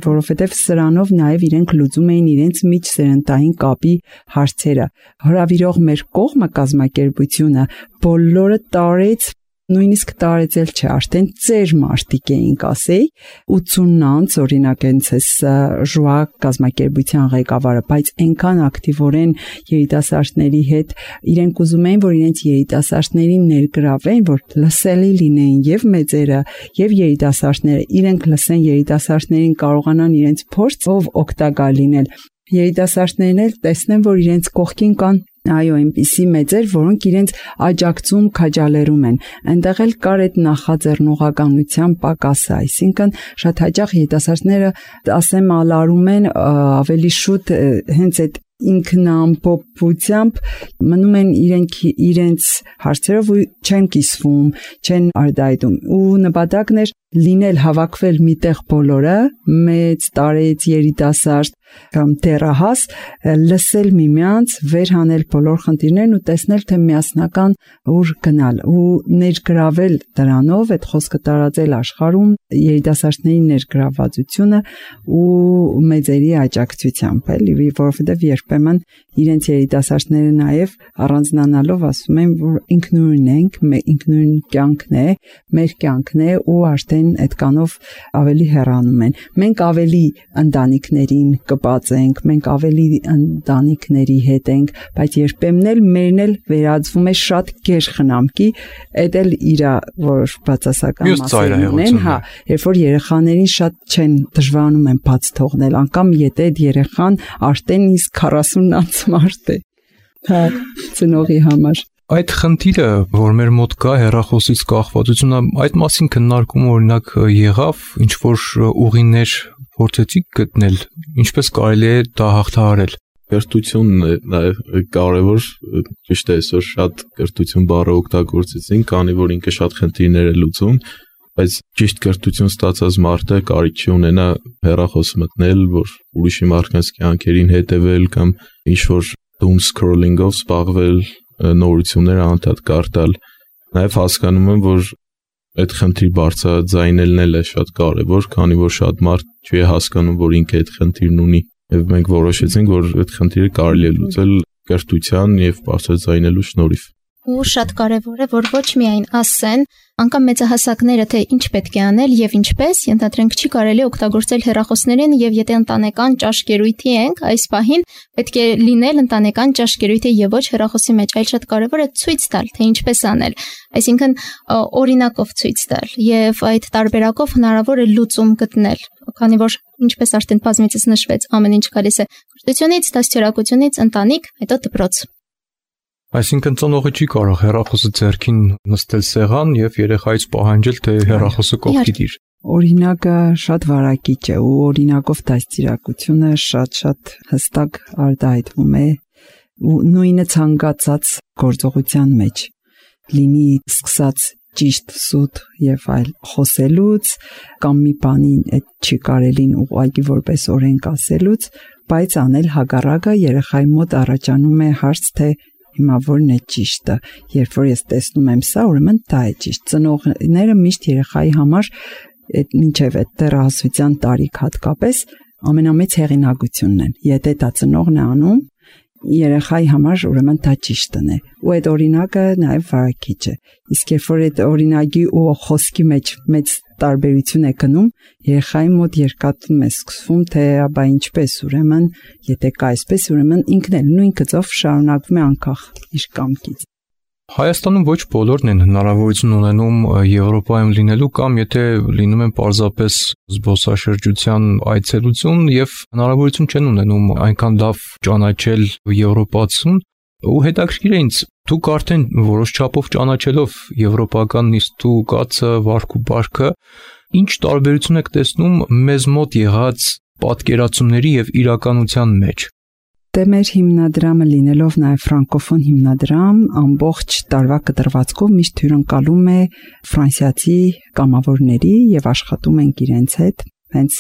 որովհետև սրանով նաև իրենք լուծում էին իրենց միջսերնդային կապի հարցերը։ Հրավիրող մեր կողմը կազմակերպությունը բոլորը տարեց, նույնիսկ տարեցել չէ, արդեն ծեր մարդիկ էինք, ասեի, 80 անց օրինակ հենց էս ժուա կազմակերպության ղեկավարը, բայց այնքան ակտիվորեն երիտասարդների հետ իրենք ուզում էին, որ իրենց երիտասարդներին ներգրավեն, որ լսելի լինեին եւ մեծերը, եւ երիտասարդները, իրենք լսեն երիտասարդներին, կարողանան իրենց փորձով օգտակար լինել։ Երիտասարդներն էլ տեսնեն, որ իրենց կողքին կան այո, այնպիսի մեծեր, որոնք իրենց աջակցում քաջալերում են։ Այնտեղ էլ կար այդ նախաձեռնողականության պակասը, այսինքն շատ հաճախ երիտասարդները, ասեմ, ալարում են ավելի շուտ հենց այդ ինքնամփոփությամբ մնում են իրենց հարցերով ու չեն կիսվում, չեն արտահայտում։ Ու նպատակն էր լինել հավաքվել միտեղ բոլորը, մեծ, տարեց, երիտասարդ կամ դեռահաս, լսել միմյանց, վերհանել բոլոր խնդիրներն ու տեսնել, թե միասնական ուր գնալ ու ներգրավել դրանով, այդ խոսքը տարածել աշխարհում, երիտասարդների ներգրավվածությունը ու մեծերի աջակցությամբ, էլի, որովհետև երբեմն իրենց երիտասարդները նաև առանձնանալով ասում են, որ ինքնուրույն ենք, ինքնուրույն կյանքն է, մեր կյանքն է ու արդեն այդքանով ավելի հեռանում են։ Մենք ավելի ընտանիքներին կպածենք, մենք ավելի ընտանիքների հետ ենք, բայց երբեմն էլ մերն էլ վերածվում է շատ գեր խնամքի, այդ էլ իր որ բացասական մասեր ունեն, հա, երբ որ երեխաներին շատ չեն դժվարանում են բաց թողնել, անգամ եթե այդ երեխան արդեն իսկ 40 անց մարդ է, հա, ծնողի համար։ Այդ խնդիրը, որ մեր մոտ կա հեռախոսից կախվածությունը, այդ մասին քննարկում օրինակ եղավ, ինչ որ ուղիներ փորձեցիք գտնել, ինչպես կարելի է դա հաղթահարել։ Կրթությունն է նաև կարևոր, ճիշտ է, այսօր շատ կրթություն բառը օգտագործեցին, քանի որ ինքը շատ խնդիրներ է լուծում, բայց ճիշտ կրթություն ստացած մարդը կարիք չի ունենա հեռախոս մտնել, որ ուրիշի մարդկանց կյանքերին հետևել կամ ինչ որ doom scrolling-ով զբաղվել, նորություններ անդադ կարդալ, նաև հասկանում եմ, որ այդ խնդրի բարձրաձայնելն էլ է շատ կարևոր, քանի որ շատ մարդ չի հասկանում, որ ինքը այդ խնդիրն ունի, եւ մենք որոշեցինք, որ այդ խնդիրը կարելի է լուծել կրթության եւ բարձրաձայնելու շնորհիվ։ Ու շատ կարևոր է, որ ոչ միայն ասեն, անկամ մեծահասակները թե ինչ պետք է անել եւ ինչպես, ենթադրենք չի կարելի օգտագործել հեռախոսներին եւ եթե ընտանեկան ճաշկերույթի ենք, այս պահին պետք է լինել ընտանեկան ճաշկերույթի եւ ոչ հեռախոսի մեջ, այլ շատ կարևոր է ցույց տալ, թե ինչպես անել, այսինքն օրինակով ցույց տալ եւ այդ տարբերակով հնարավոր է լուծում գտնել, քանի որ ինչպես արդեն բազմիցս նշվեց, ամեն ինչ գալիս է կրթությունից, դաստիարակությունից, ընտանիք, հետո դպրոց։ Այսինքն ծնողը չի կարող հեռախոսը ձեռքին նստել սեղան եւ երեխայից պահանջել, թե հեռախոսը կողքի դիր։ Օրինակը շատ վարակիչ է ու օրինակով դաստիարակությունը շատ հստակ արտահայտվում է ու նույնը ցանկացած գործողության մեջ լինի սկսած ճիշտ սուտ եւ այլ խոսելուց կամ մի բանին այդ չի կարելին ուղղակի որպես օրենք ասելուց, բայց անել հակառակը երեխայի մոտ առաջանում է հարց, թե հիմա որն է ճիշտը, երբ որ ես տեսնում եմ սա, ուրեմն դա է ճիշտ։ Ծնողները միշտ երեխայի համար այդ մինչև այդ դեռահասության տարիք հատկապես ամենամեծ հեղինակությունն են։ Եթե դա ծնողն է անում, երեխայի համար ուրեմն դա ճիշտն է։ Ու այդ օրինակը նաև վարակիչ է։ Իսկ երբ որ այդ օրինակի ու խոսքի մեջ մեծ տարբերություն է գնում, երեխայի մոտ երկաթում է սկսվում, թե աբա ինչպես, ուրեմն, եթե կա այսպես, ուրեմն ինքն էլ նույն գծով շարունակվում է անկախ իր կամքից։ Հայաստանում ոչ բոլորն են հնարավորություն ունենում Եվրոպայում լինելու կամ եթե լինում են պարզապես զբոսաշրջության այցելություն եւ հնարավորություն չեն ունենում այնքան լավ ճանաչել եվրոպացուն ու հետաքրքիր է ինձ դուք արդեն որոշ չափով ճանաչելով եվրոպական նիստու կացը վարք ու բարքը ինչ տարբերություն եք տեսնում մեզ մոտ եղած պատկերացումների եւ իրականության մեջ։ Դե մեր հիմնադրամը լինելով նաև ֆրանկոֆոն հիմնադրամ, ամբողջ տարվա կտրվածքով միշտ հյուրընկալում է ֆրանսիացի կամավորների եւ աշխատում ենք իրենց հետ, հենց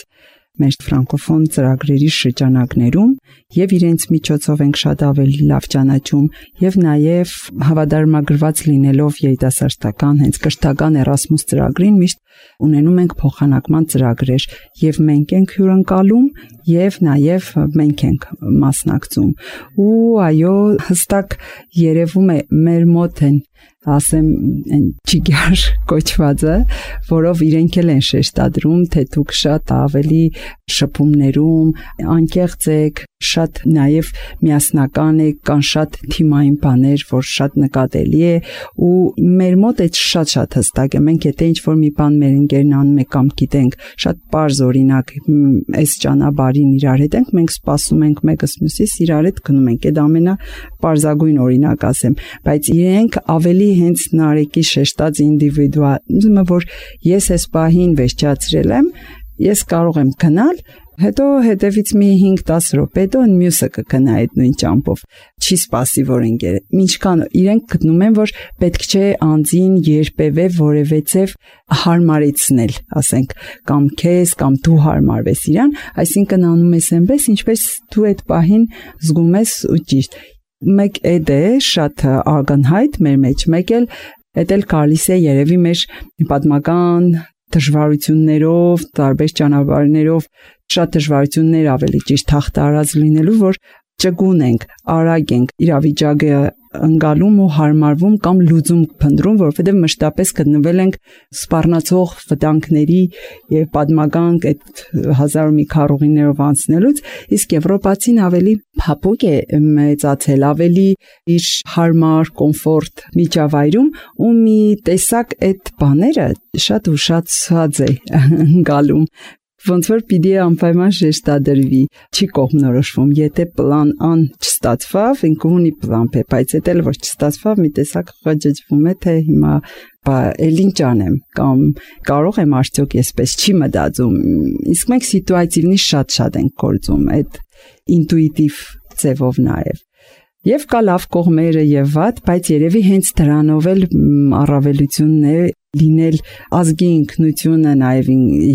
մեր ֆրանկոֆոն ծրագրերի շրջանակներում եւ իրենց միջոցով ենք շատ ավելի լավ ճանաչում եւ նաեւ հավատարմագրված լինելով երիտասարդական հենց կրթական Էրասմուս ծրագրին միշտ ունենում ենք փոխանակման ծրագրեր եւ մենք ենք հյուրընկալում եւ նաեւ մենք ենք մասնակցում ու այո հստակ երևում է մեր մոտ են ասեմ ճիգար կոչվածը, որով իրենք էլ են շեշտադրում, թե դուք շատ ավելի շփումներում անկեղծ եք, շատ նաև միասնական եք, կան շատ թիմային բաներ, որ շատ նկատելի է ու մեր մոտ այդ շատ հստակ է, մենք եթե ինչ-որ մի բան մեր ընկերն անում է կամ գիտենք, շատ պարզ օրինակ այս ճանապարհին իրար հետ ենք, մենք սպասում ենք մեկս մյուսից իրար հետ գնում ենք, այդ ամենապարզագույն օրինակ ասեմ, բայց իրենք ավելի հենց Նարեկի շեշտած ինդիվիդուալիզմը, որ ես այս պահին վերջացրել եմ, ես կարող եմ գնալ, հետո հետևից մի 5-10 րոպե հետո մյուսը կգնա այդ նույն ճամփով, չի սպասի որ ընկերը։ Ինչքան իրենք գտնում են, որ պետք չէ անձին երբևէ որևէցև հարմարեցնել, ասենք, կամ քեզ կամ դու հարմարվես իրան, այսինքն անում ես այնպես, ինչպես դու այդ պահին զգում ես ու ճիշտ։ Մեկ էդ է շատ ակնհայտ մեր մեջ, մեկ էլ գալիս է երևի մեր պատմական դժվարություններով, տարբեր ճանապարհներով, շատ դժվարություններ ավելի ճիշտ հաղթարած լինելու, որ ճկուն ենք, արագ ենք, իրավիճակը ընկալում ու հարմարվում կամ լուծում փնտրում, որովհետև մշտապես գտնվել ենք սպառնացող վտանգների եւ պատմական այդ հազար ու մի քառուղիներով անցնելուց, իսկ եվրոպացին ավելի փափուկ է մեծացել, ավելի իր հարմար, կոմֆորտ միջավայրում ու մի տեսակ այդ բաները շատ ուշացած է ընկալում։ Ոնց որ պիտի անպայման շեշտադրվի, չի կողմնորոշվում, եթե պլան Ան չստացվավ, ինքը ունի պլան Բ, բայց եթե որ չստացվավ, մի տեսակ խճճվում է, թե հիմա էլ ինչ անեմ, կամ կարող եմ արդյոք այսպես չի մտածում, իսկ մենք սիտուացիվնի շատ ենք գործում, այդ ինտուիտիվ ձևով նաև։ Եվ կա լավ կողմերը եւ վատ, բայց երևի հենց դրանով էլ առավելությունն է լինել ազգի ինքնությունը, նաև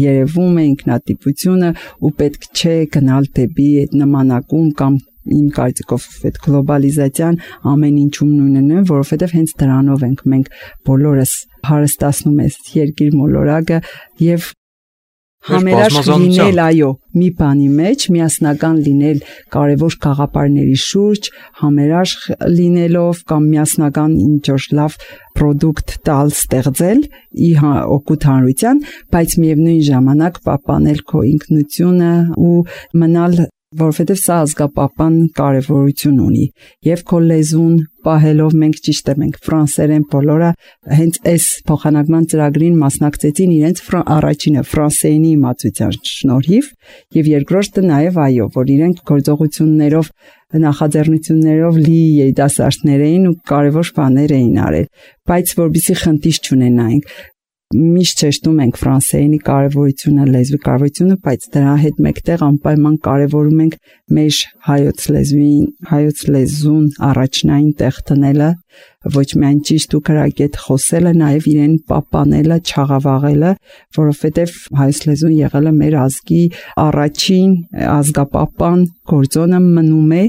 երևում է ինքնատիպությունը ու պետք չէ գնալ դեպի այդ նմանակում կամ իմ կարծիքով այդ գլոբալիզացիան ամեն ինչում նույնն է, որովհետև հենց դրանով ենք մենք բոլորս հարստացնում այս երկիր մոլորակը եւ համերաշխ լինել, այո, մի բանի մեջ, միասնական լինել կարևոր գաղափարների շուրջ, համերաշխ լինելով կամ միասնական ինչ-որ լավ product տալ, ստեղծել օգուտ հանրության, բայց միևնույն ժամանակ պահպանել քո ինքնությունը ու մնալ, որովհետև սա ազգապահպան կարևորություն ունի եւ քո լեզուն պահելով մենք ճիշտ է մենք ֆրանսերեն բոլորը հենց այս փոխանակման ծրագրին մասնակցեցին իրենց առաջինը ֆրանսերենի իմացության շնորհիվ եւ երկրորդը նաեւ այո որ իրենք գործողություններով նախաձեռնություններով լի երիտասարդներ էին ու կարևոր բաներ էին արել բայց որբիսի խնդիր չունենայինք միշտ շեշտում ենք ֆրանսերենի կարևորությունը, լեզվի կարևորությունը, բայց դրա հետ մեկտեղ անպայման կարևորում ենք մեր հայոց լեզուն առաջնային տեղ տնելը, ոչ միայն ճիշտ ու կրակետ խոսելը, նաև իրեն պահպանելը, չաղավաղելը, որովհետև հայոց լեզուն եղել է մեր ազգի առաջին ազգապահպան գործոնը մնում է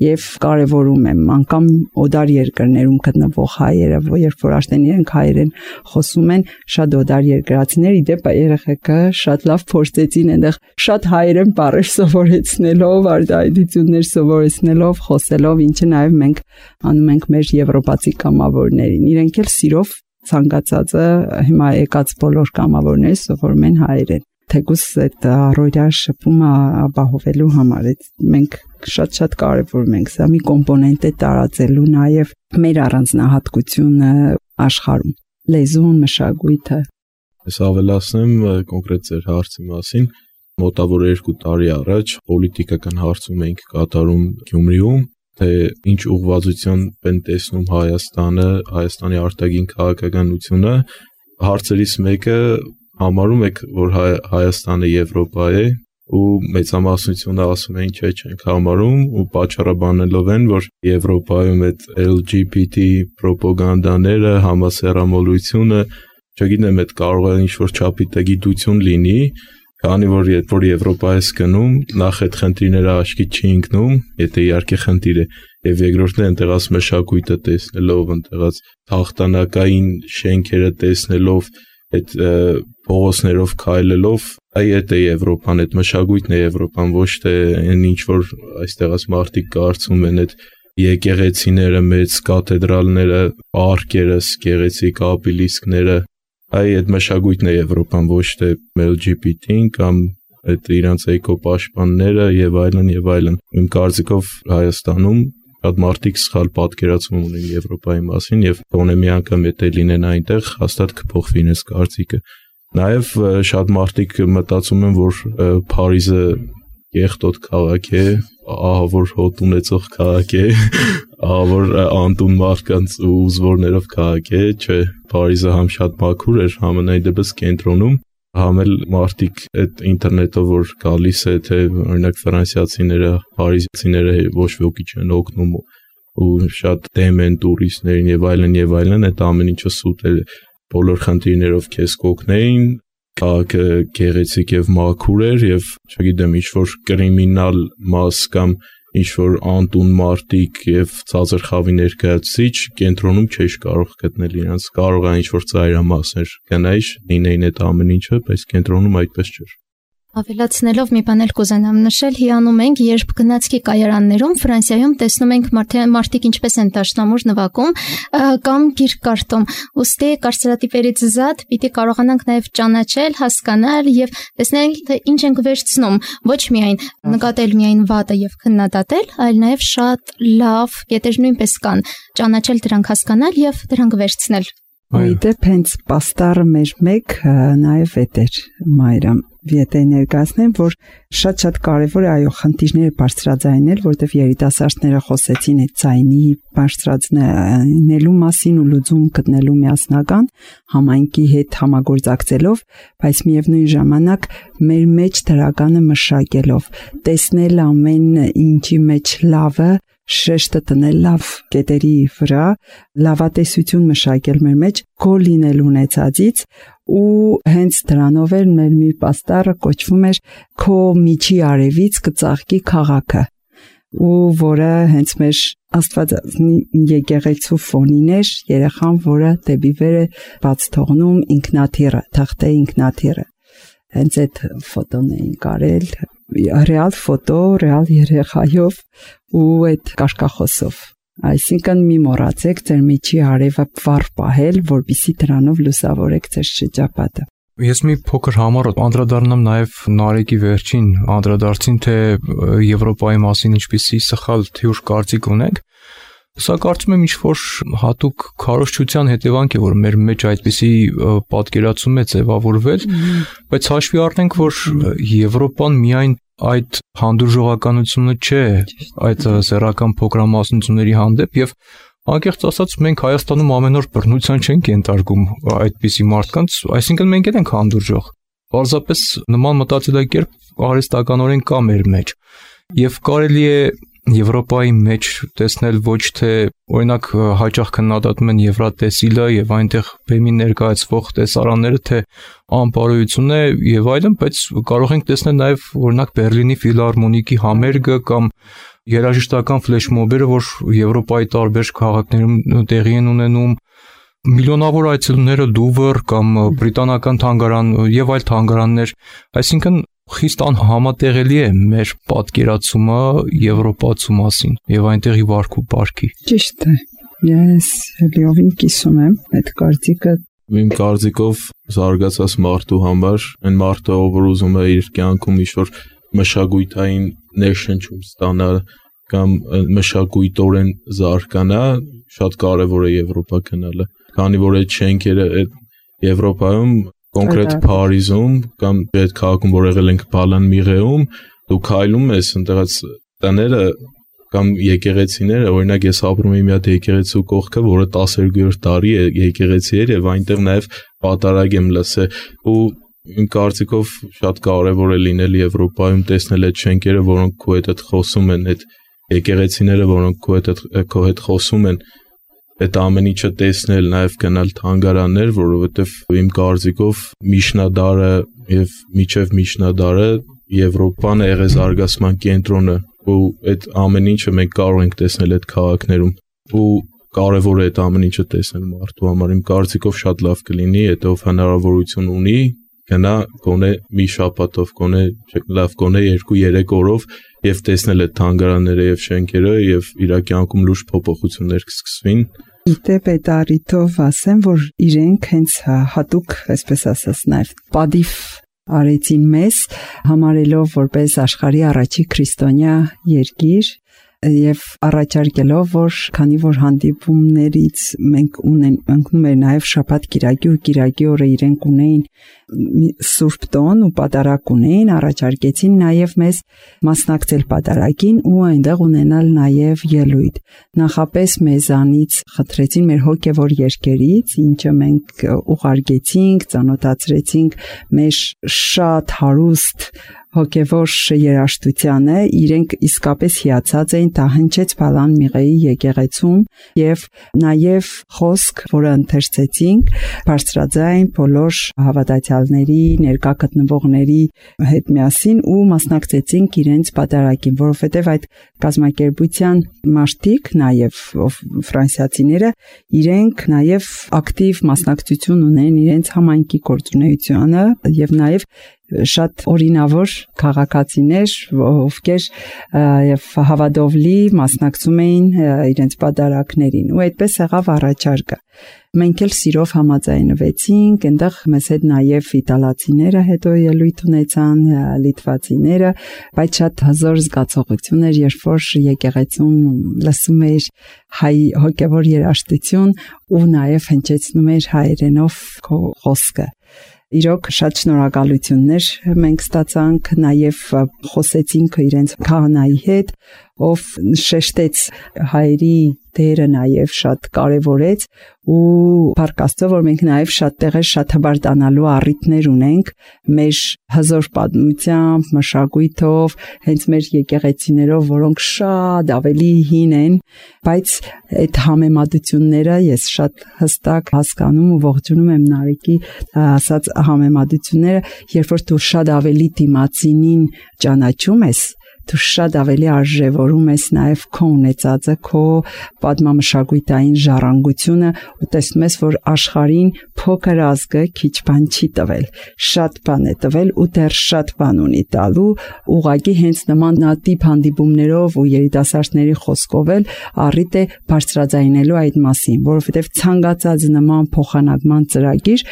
եւ կարևորում եմ անկամ օդար երկրներում գտնվող հայերը, երբ որ արդեն իրենք հայերեն խոսում են, շատ օդար երկրացիներ իդեպ երեխեքը շատ լավ փորձեցին այնտեղ շատ հայերեն բառեր սովորեցնելով, արտահայտություններ սովորեցնելով, խոսելով, ինչը նաև մենք անում ենք մեր եվրոպացի կամավորներին։ Իրենք էլ սիրով ցանկացածը հիմա եկած բոլոր կամավորները սովորում են հայերեն։ Թեկուզ այդ առօրյա շփումը ապահովելու համար մենք շատ կարևորում ենք սա մի կոմպոնենտ է տարածելու նաև մեր առանձնահատկությունը աշխարհում լեզուն մշակույթը Ես ավելացնեմ կոնկրետ ձեր հարցի մասին մոտավոր 2 տարի առաջ պոլիտիկական հարցում էինք կատարում Գյումրիում թե ինչ ուղղվածություն են տեսնում Հայաստանի արտաքին քաղաքականությունը հարցերից մեկը համարում եք որ Հայաստանը Եվրոպա է ու մեծամասնությունը ասում են չէ չենք համարում ու պատճառաբանելով են որ Եվրոպայում այդ LGBT ռոպագանդաները համասեռամոլությունը չգիտեմ այդ կարող է ինչ-որ չափի գիտություն լինի քանի որ երբ որ Եվրոպա ես գնում նախ այդ խնդիրները աչքի չի ընկնում եթե իհարկե խնդիր է եւ երկրորդն է այնտեղած մշակույթը տեսնելով այնտեղած հաղթանակային շենքերը տեսնելով այդ փողոցներով քայլելով այդ է Եվրոպան այդ մշակույթն է Եվրոպան ոչ թե այն ինչ որ այստեղած մարդիկ կարծում են այդ եկեղեցիները մեծ կաթեդրալները պարկերը գեղեցիկ ապիլիսկները այդ մշակույթն է Եվրոպան ոչ թե LGBT-ին կամ այդ իրանց էկոպաշտպանները եւ այլն իմ կարծիքով Հայաստանում շատ մարդիկ սխալ պատկերացում ունեն Եվրոպայի մասին եւ գոնե մի անգամ եթե լինեն այնտեղ հաստատ կփոխվի իրենց կարծիքը նաեւ շատ մարդիկ մտածում են որ Փարիզը Եղտոտ քաղաք է, ահա որ հոտ ունեցող քաղաք է, ահա որ անտուն մարդկանց ու ուզվորներով քաղաք է, չէ, Փարիզը համ շատ մաքուր էր, համենայն դեպս կենտրոնում, համ էլ մարդիկ այդ ինտերնետով որ գալիս է, թե օրինակ ֆրանսիացիները, փարիզցիները ոչ ոքի չեն օգնում ու շատ դեմ են տուրիստներին եւ այլն, այդ ամեն ինչը սուտ է, բոլոր խնդիրներով քեզ կօգնեին քաղաքը գեղեցիկ եւ մաքուր էր եւ չգիտեմ ինչ որ կրիմինալ մաս կամ ինչ որ անտուն մարտիկ եւ ցածր խավի ներկայացուցիչ կենտրոնում չէր կարող գտնել իրենց կարող է ինչ որ ծայրամասեր գնայր լինեին այդ ամեն ինչը բայց կենտրոնում այդպես չէր Ավելացնելով մի բան էլ կուզենամ նշել, հիանում ենք, երբ գնացքի կայարաններում Ֆրանսիայում տեսնում ենք մարդիկ ինչպես են դաշնամուր նվագում կամ գիրք կարդում։ Ուստի կարծրատիպերից զատ պիտի կարողանանք նաև ճանաչել, հասկանալ եւ տեսնել թե ինչ ենք վերցնում, ոչ միայն նկատել միայն վատը եւ քննադատել, այլ նաև շատ լավ կետեր նույնպես կան, ճանաչել դրանք հասկանալ եւ դրանք վերցնել։ Իդեպ հենց պաստառը մեր մեկ նաև էտեր Մայրամ Եթե ներկայացնեմ, որ շատ կարևոր է այո խնդիրները բարձրաձայնել, որտեղ երիտասարդները խոսեցին այդ ձայնի բարձրացնելու մասին ու լուծում գտնելու միասնական համայնքի հետ համագործակցելով, բայց միևնույն ժամանակ մեր մեջ դրականը մշակելով, տեսնել ամեն ինչի մեջ լավը, շեշտը տնել լավ կետերի վրա, լավատեսություն մշակել մեր մեջ, գոլ լինել ունեցածից ու հենց դրանով էլ մեր մի պաստառը կոչվում էր քո միջի արևից կծաղկի քաղաքը ու որը հենց մեր Աստվածածնի եկեղեցու ֆոնին էր, երեխան, որը դեպի վեր է բաց թողնում ինքնաթիռը, թղթե ինքնաթիռը։ Հենց այդ ֆոտոն էին կարել, ռեալ ֆոտո, ռեալ երեխայով ու այդ կաշկախոսով։ Այսինքն մի մոռացեք ձեր միջի արևը վառ պահել, որպեսզի դրանով լուսավորեք ձեր շրջապատը։ Ես մի փոքր համար անդրադառնամ նաև Նարեկի վերջին անդրադարձին, թե Եվրոպայի մասին ինչպիսի սխալ թյուր կարծիք ունենք։ Սա կարծում եմ ինչ-որ հատուկ քարոզչության հետևանք է, որ մեր մեջ այդպիսի պատկերացում է ձևավորվել, բայց հաշվի առնենք, որ Եվրոպան միայն այդ հանդուրժողականությունը չէ այդ սեռական փոքրամասնությունների հանդեպ եւ անկեղծ ասած մենք Հայաստանում ամեն օր բռնության չենք ենթարկում այդպիսի մարդկանց, այսինքն մենք էլ ենք հանդուրժող։ Պարզապես նման մտածելակերպ արհեստականորեն կա մեր մեջ եւ կարելի է Եվրոպայի մեջ տեսնել ոչ թե օրինակ հաճախ քննադատում են Եվրատեսիլը եւ այնտեղ բեմի ներկայացվող տեսարանները, թե անպարոյություն է եւ այլն, բայց կարող ենք տեսնել նաեւ օրինակ Բերլինի ֆիլհարմոնիկի համերգը կամ երաժշտական ֆլեշմոբերը, որ Եվրոպայի տարբեր քաղաքներում տեղի են ունենում, միլիոնավոր այցելուները Լուվր կամ բրիտանական թանգարան եւ այլ թանգարաններ, այսինքն խիստ անհամատեղելի է մեր պատկերացումը Եվրոպացու մասին եւ այնտեղի վարք ու բարքի։ Ճիշտ է։ Ես լիովին կիսում եմ այդ կարծիքը։ Իմ կարծիքով զարգացած մարդու համար, այն մարդը, ով ուզում է իր կյանքում ինչ-որ մշակույթային ներշնչում ստանալ կամ մշակույթորեն զարգանա, շատ կարևոր է Եվրոպա գնալը, քանի որ այդ շենքերը Եվրոպայում կոնկրետ Փարիզում կամ այդ քաղաքում, որ եղել ենք Բալան-Միրեում, դու քայլում ես այնտեղից տները կամ եկեղեցիները, օրինակ ես ապրում եմ մի հատ եկեղեցու կողքը, որը 12-րդ դարի եկեղեցի էր եւ այնտեղ նաեւ պատարագ եմ լսել ու իմ կարծիքով շատ կարևոր է լինել Եվրոպայում տեսնել այդ շենքերը, որոնք քո հետ խոսում են, այդ եկեղեցիները, որոնք քո հետ խոսում են, այդ ամեն ինչը տեսնել, նաև գնալ թանգարաններ, որովհետև իմ կարծիքով միջնադարը եւ միջև միջնադարը Եվրոպան եղել զարգացման կենտրոնը ու այդ ամեն ինչը մենք կարող ենք տեսնել այդ քաղաքներում ու կարևոր է այդ ամեն ինչը տեսնել մարդու համար։ Իմ կարծիքով շատ լավ կլինի, եթե ով հնարավորություն ունի, գնա գոնե մի շաբաթով, գոնե 2-3 օրով եւ տեսնել այդ թանգարանները եւ շենքերը եւ իր կյանքում լուրջ փոփոխություններ կսկսվին։ Դեպ այդ առիթով ասեմ, որ իրենք հենց հատուկ, այսպես ասած, նաև պատիվ արեցին մեզ, համարելով որպես աշխարհի առաջի քրիստոնյա երկիր եւ առաջարկելով, որ քանի որ հանդիպումներից մենք ընկնում էր նաև շաբաթ կիրակի ու կիրակի օրը իրենք ունեին սուրբ տոն ու պատարագ ունեին, առաջարկեցին նաև մեզ մասնակցել պատարագին ու այնտեղ ունենալ նաև ելույթ։ Նախապես մեզանից խնդրեցին մեր հոգևոր երկերից, ինչը մենք ուղարկեցինք, ծանոթացրեցինք մեր շատ հարուստ հոգևոր երաժշտությանը, իրենք իսկապես հիացած էին, դա հնչեց Բալան-Միրեի եկեղեցում եւ նաեւ խոսք, որը ընթերցեցինք, բարձրաձայն բոլոր հավատացյալների, ներկա գտնվողների հետ միասին ու մասնակցեցինք իրենց պատարագին, որովհետեւ այդ կազմակերպության մարդիկ, նաեւ ֆրանսիացիները, իրենք նաեւ ակտիվ մասնակցություն ունեն իրենց համայնքի գործունեությանը եւ նաեւ շատ օրինավոր քաղաքացիներ, ովքեր եւ հավատովլի մասնակցում էին իրենց պատարագներին ու այդպես եղավ առաջարկը։ Մենք էլ սիրով համաձայնվեցինք, այնտեղ մեզ հետ նաեւ իտալացիները հետո ելույթ ունեցան, լիտվացիները, բայց շատ հզոր զգացողություն էր, երբ որ եկեղեցում լսում էր հայ հոգևոր երաժշտություն ու նաեւ հնչեցնում էր հայերենով խոսքը։ Իրոք շատ շնորհակալություններ մենք ստացանք, նաև խոսեցինք իրենց քահանայի հետ, ով շեշտեց հայերի դերը նաև շատ կարևորեց ու փառք Աստծո, որ մենք նաև շատ տեղեր շատ հբարտանալու առիթներ ունենք մեր հզոր պատմությամբ, մշակույթով, հենց մեր եկեղեցիներով, որոնք շատ ավելի հին են, բայց այդ համեմատությունները ես շատ հստակ հասկանում ու ողջունում եմ Նարեկի ասած համեմատությունները, երբ որ դու շատ ավելի դիմացինին ճանաչում ես, դու շատ ավելի արժևորում ես նաև քո ունեցածը, քո պատմամշակութային ժառանգությունը ու տեսնում ես, որ աշխարհին փոքր ազգը քիչ բան չի տվել, շատ բան է տվել ու դեռ շատ բան ունի տալու, ուղղակի հենց նմանատիպ հանդիպումներով ու երիտասարդների խոսքով էլ առիթ է բարձրաձայնելու այդ մասին, որովհետև ցանկացած նման փոխանակման ծրագիր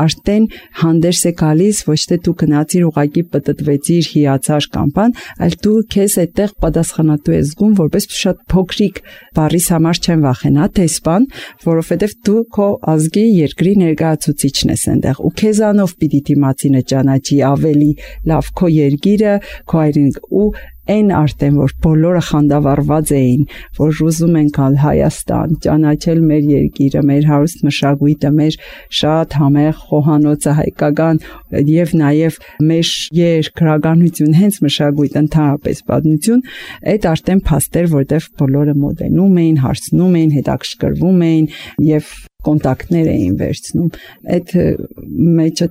արդեն հանդերձ է գալիս, ոչ թե դու գնացիր ուղղակի պտտվեցիր, հիացար կամ բան, այլ դու քեզ այդտեղ պատասխանատու ես զգում, որպես շատ փոքրիկ բառիս համար չեմ վախենա, տեսփան, որովհետև դու քո ազգի երկրի ներկայացուցիչն ես այնտեղ ու քեզանով պիտի դիմացինը ճանաչի ավելի լավ քո երկիրը, քո հայրենիքը ու այն արդեն որ բոլորը խանդավառված էին, որ ուզում են գալ Հայաստան, ճանաչել մեր երկիրը, մեր հարուստ մշակույթը, մեր շատ համեղ խոհանոցը հայկական եւ նաեւ մեր երկրականություն, հենց մշակույթ, ընդհանրապես պատմություն, այդ արդեն փաստեր, որտեղ բոլորը մոտենում էին, հարցնում էին, հետաքրքրվում էին եւ կոնտակտներ էին վերցնում, այդ մեջը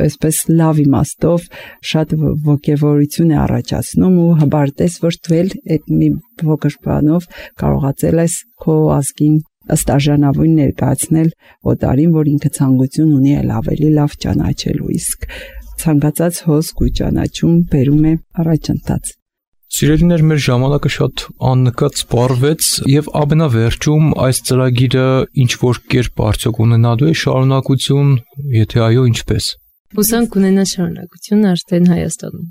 այսպես լավ իմաստով շատ ոգևորություն է առաջացնում ու հբարտես, որ դու էլ այդ մի փոքր բանով կարողացել ես քո ազգին ըստ արժանավուն ներկայացնել օտարին, որ ինքը ցանկություն ունի էլ ավելի լավ ճանաչելու, իսկ ցանկացած հոսք ու ճանաչում բերում է առաջընթաց։ Սիրելիներ, մեր ժամանակը շատ աննկատ սպառվեց եւ ամենավերջում այս ծրագիրը ինչ որ կերպ արդյոք ունենալու է շարունակություն, եթե այո, ինչպես։ Հուսանք ունենա շարունակություն արդեն Հայաստանում։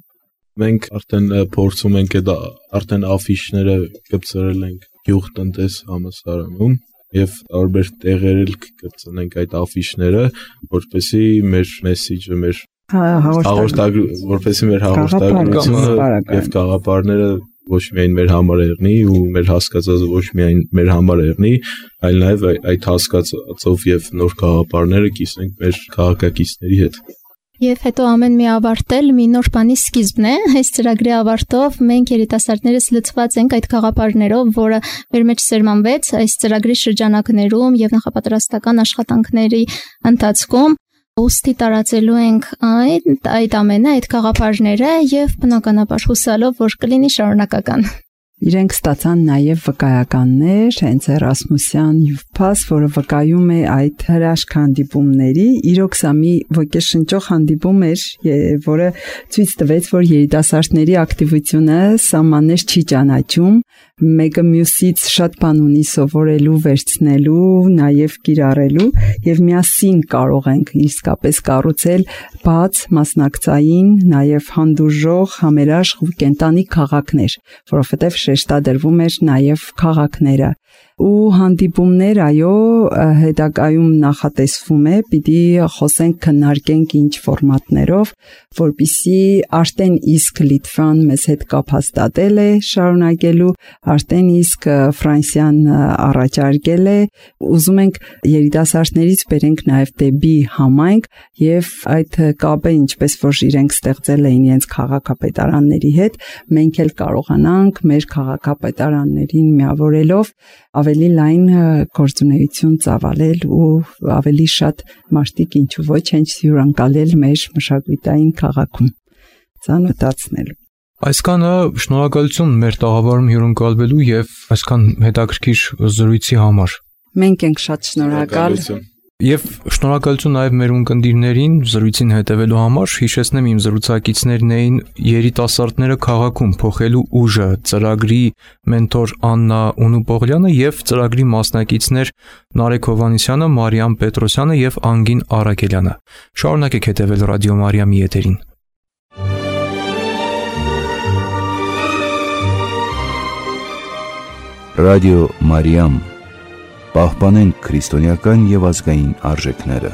Մենք արդեն փորձում ենք այդ արդեն աֆիշները կպցրել ենք գյուղտնտես համալսարանում եւ տարբեր տեղերել կպցնենք այդ աֆիշները, որպեսզի մեր մեսեջը, մեր որպեսզի մեր հաղորդագրությունը եւ գաղափարները ոչ միայն մեր համար եղնի ու մեր հասկացածը ոչ միայն մեր համար եղնի, այլ նաեւ այդ հասկացածով եւ նոր գաղափարները կիսենք մեր քաղաքակիցների հետ։ Եվ հետո ամեն մի ավարտել մի նոր բանի սկիզբն է, այս ծրագրի ավարտով մենք երիտասարդներս լցված ենք այդ գաղափարներով, որը մեր մեջ սերմանվեց այս ծրագրի շրջանակներում եւ նախապատրաստական աշխատանքների ընթացքում։ Ոստի տարածելու ենք այդ ամենը, այդ գաղափարները եւ բնականաբար հուսալով, որ կլինի շարունակական։ Իրենք ստացան նաև վկայականներ, հենց Էրասմուսյան Youth-Pass, որը վկայում է այդ հրաշք հանդիպումների։ Իրոք սա մի ոգեշնչող հանդիպում էր, որը ցույց տվեց, որ երիտասարդների ակտիվությունը սահմաններ չի ճանաչում, մեկը մյուսից շատ բան ունի սովորելու, վերցնելու, նաև կիրառելու եւ միասին կարող ենք իսկապես կառուցել բաց, մասնակցային, նաև հանդուրժող, համերաշխ ու կենտանի քաղաքներ, որովհետեւ շեշտադրվում էր նաև քաղաքները ու հանդիպումներ, այո, հետագայում նախատեսվում է, պիտի խոսենք, քննարկենք ինչ ֆորմատներով, որպեսզի արդեն իսկ Լիտվան մեզ հետ կապ հաստատել է շարունակելու, արդեն իսկ Ֆրանսիան առաջարկել է, ուզում ենք երիտասարդներից բերենք նաև դեպի համայնք եւ այդ կապը ինչպես որ իրենք ստեղծել էին իրենց քաղաքապետարանների հետ, մենք էլ կարողանանք մեր քաղաքապետարաններին միավորելով ավելի լայն գործունեություն ծավալել ու ավելի շատ մարդիկ ինչու ոչ հենց հյուրընկալել մեր մշակութային քաղաքում ծանոթացնելու։ Այսքանը շնորհակալություն մեր տաղավարում հյուրընկալվելու եւ այսքան հետաքրքիր զրույցի համար։ Մենք ենք շատ շնորհակալ։ Եվ շնորհակալություն նաև մեր ունկնդիրներին զրույցին հետևելու համար։ Հիշեցնեմ իմ զրուցակիցներն էին երիտասարդները քաղաքում փոխելու ուժը ծրագրի մենտոր Աննա Ունուպողլյանը եւ ծրագրի մասնակիցներ Նարեկ Հովանեսյանը, Մարիամ Պետրոսյանը եւ Անգին Արաքելյանը։ Շարունակեք հետևել Ռադիո Մարիամի եթերին։ Ռադիո Մարիամ, պահպանենք քրիստոնեական եւ ազգային արժեքները։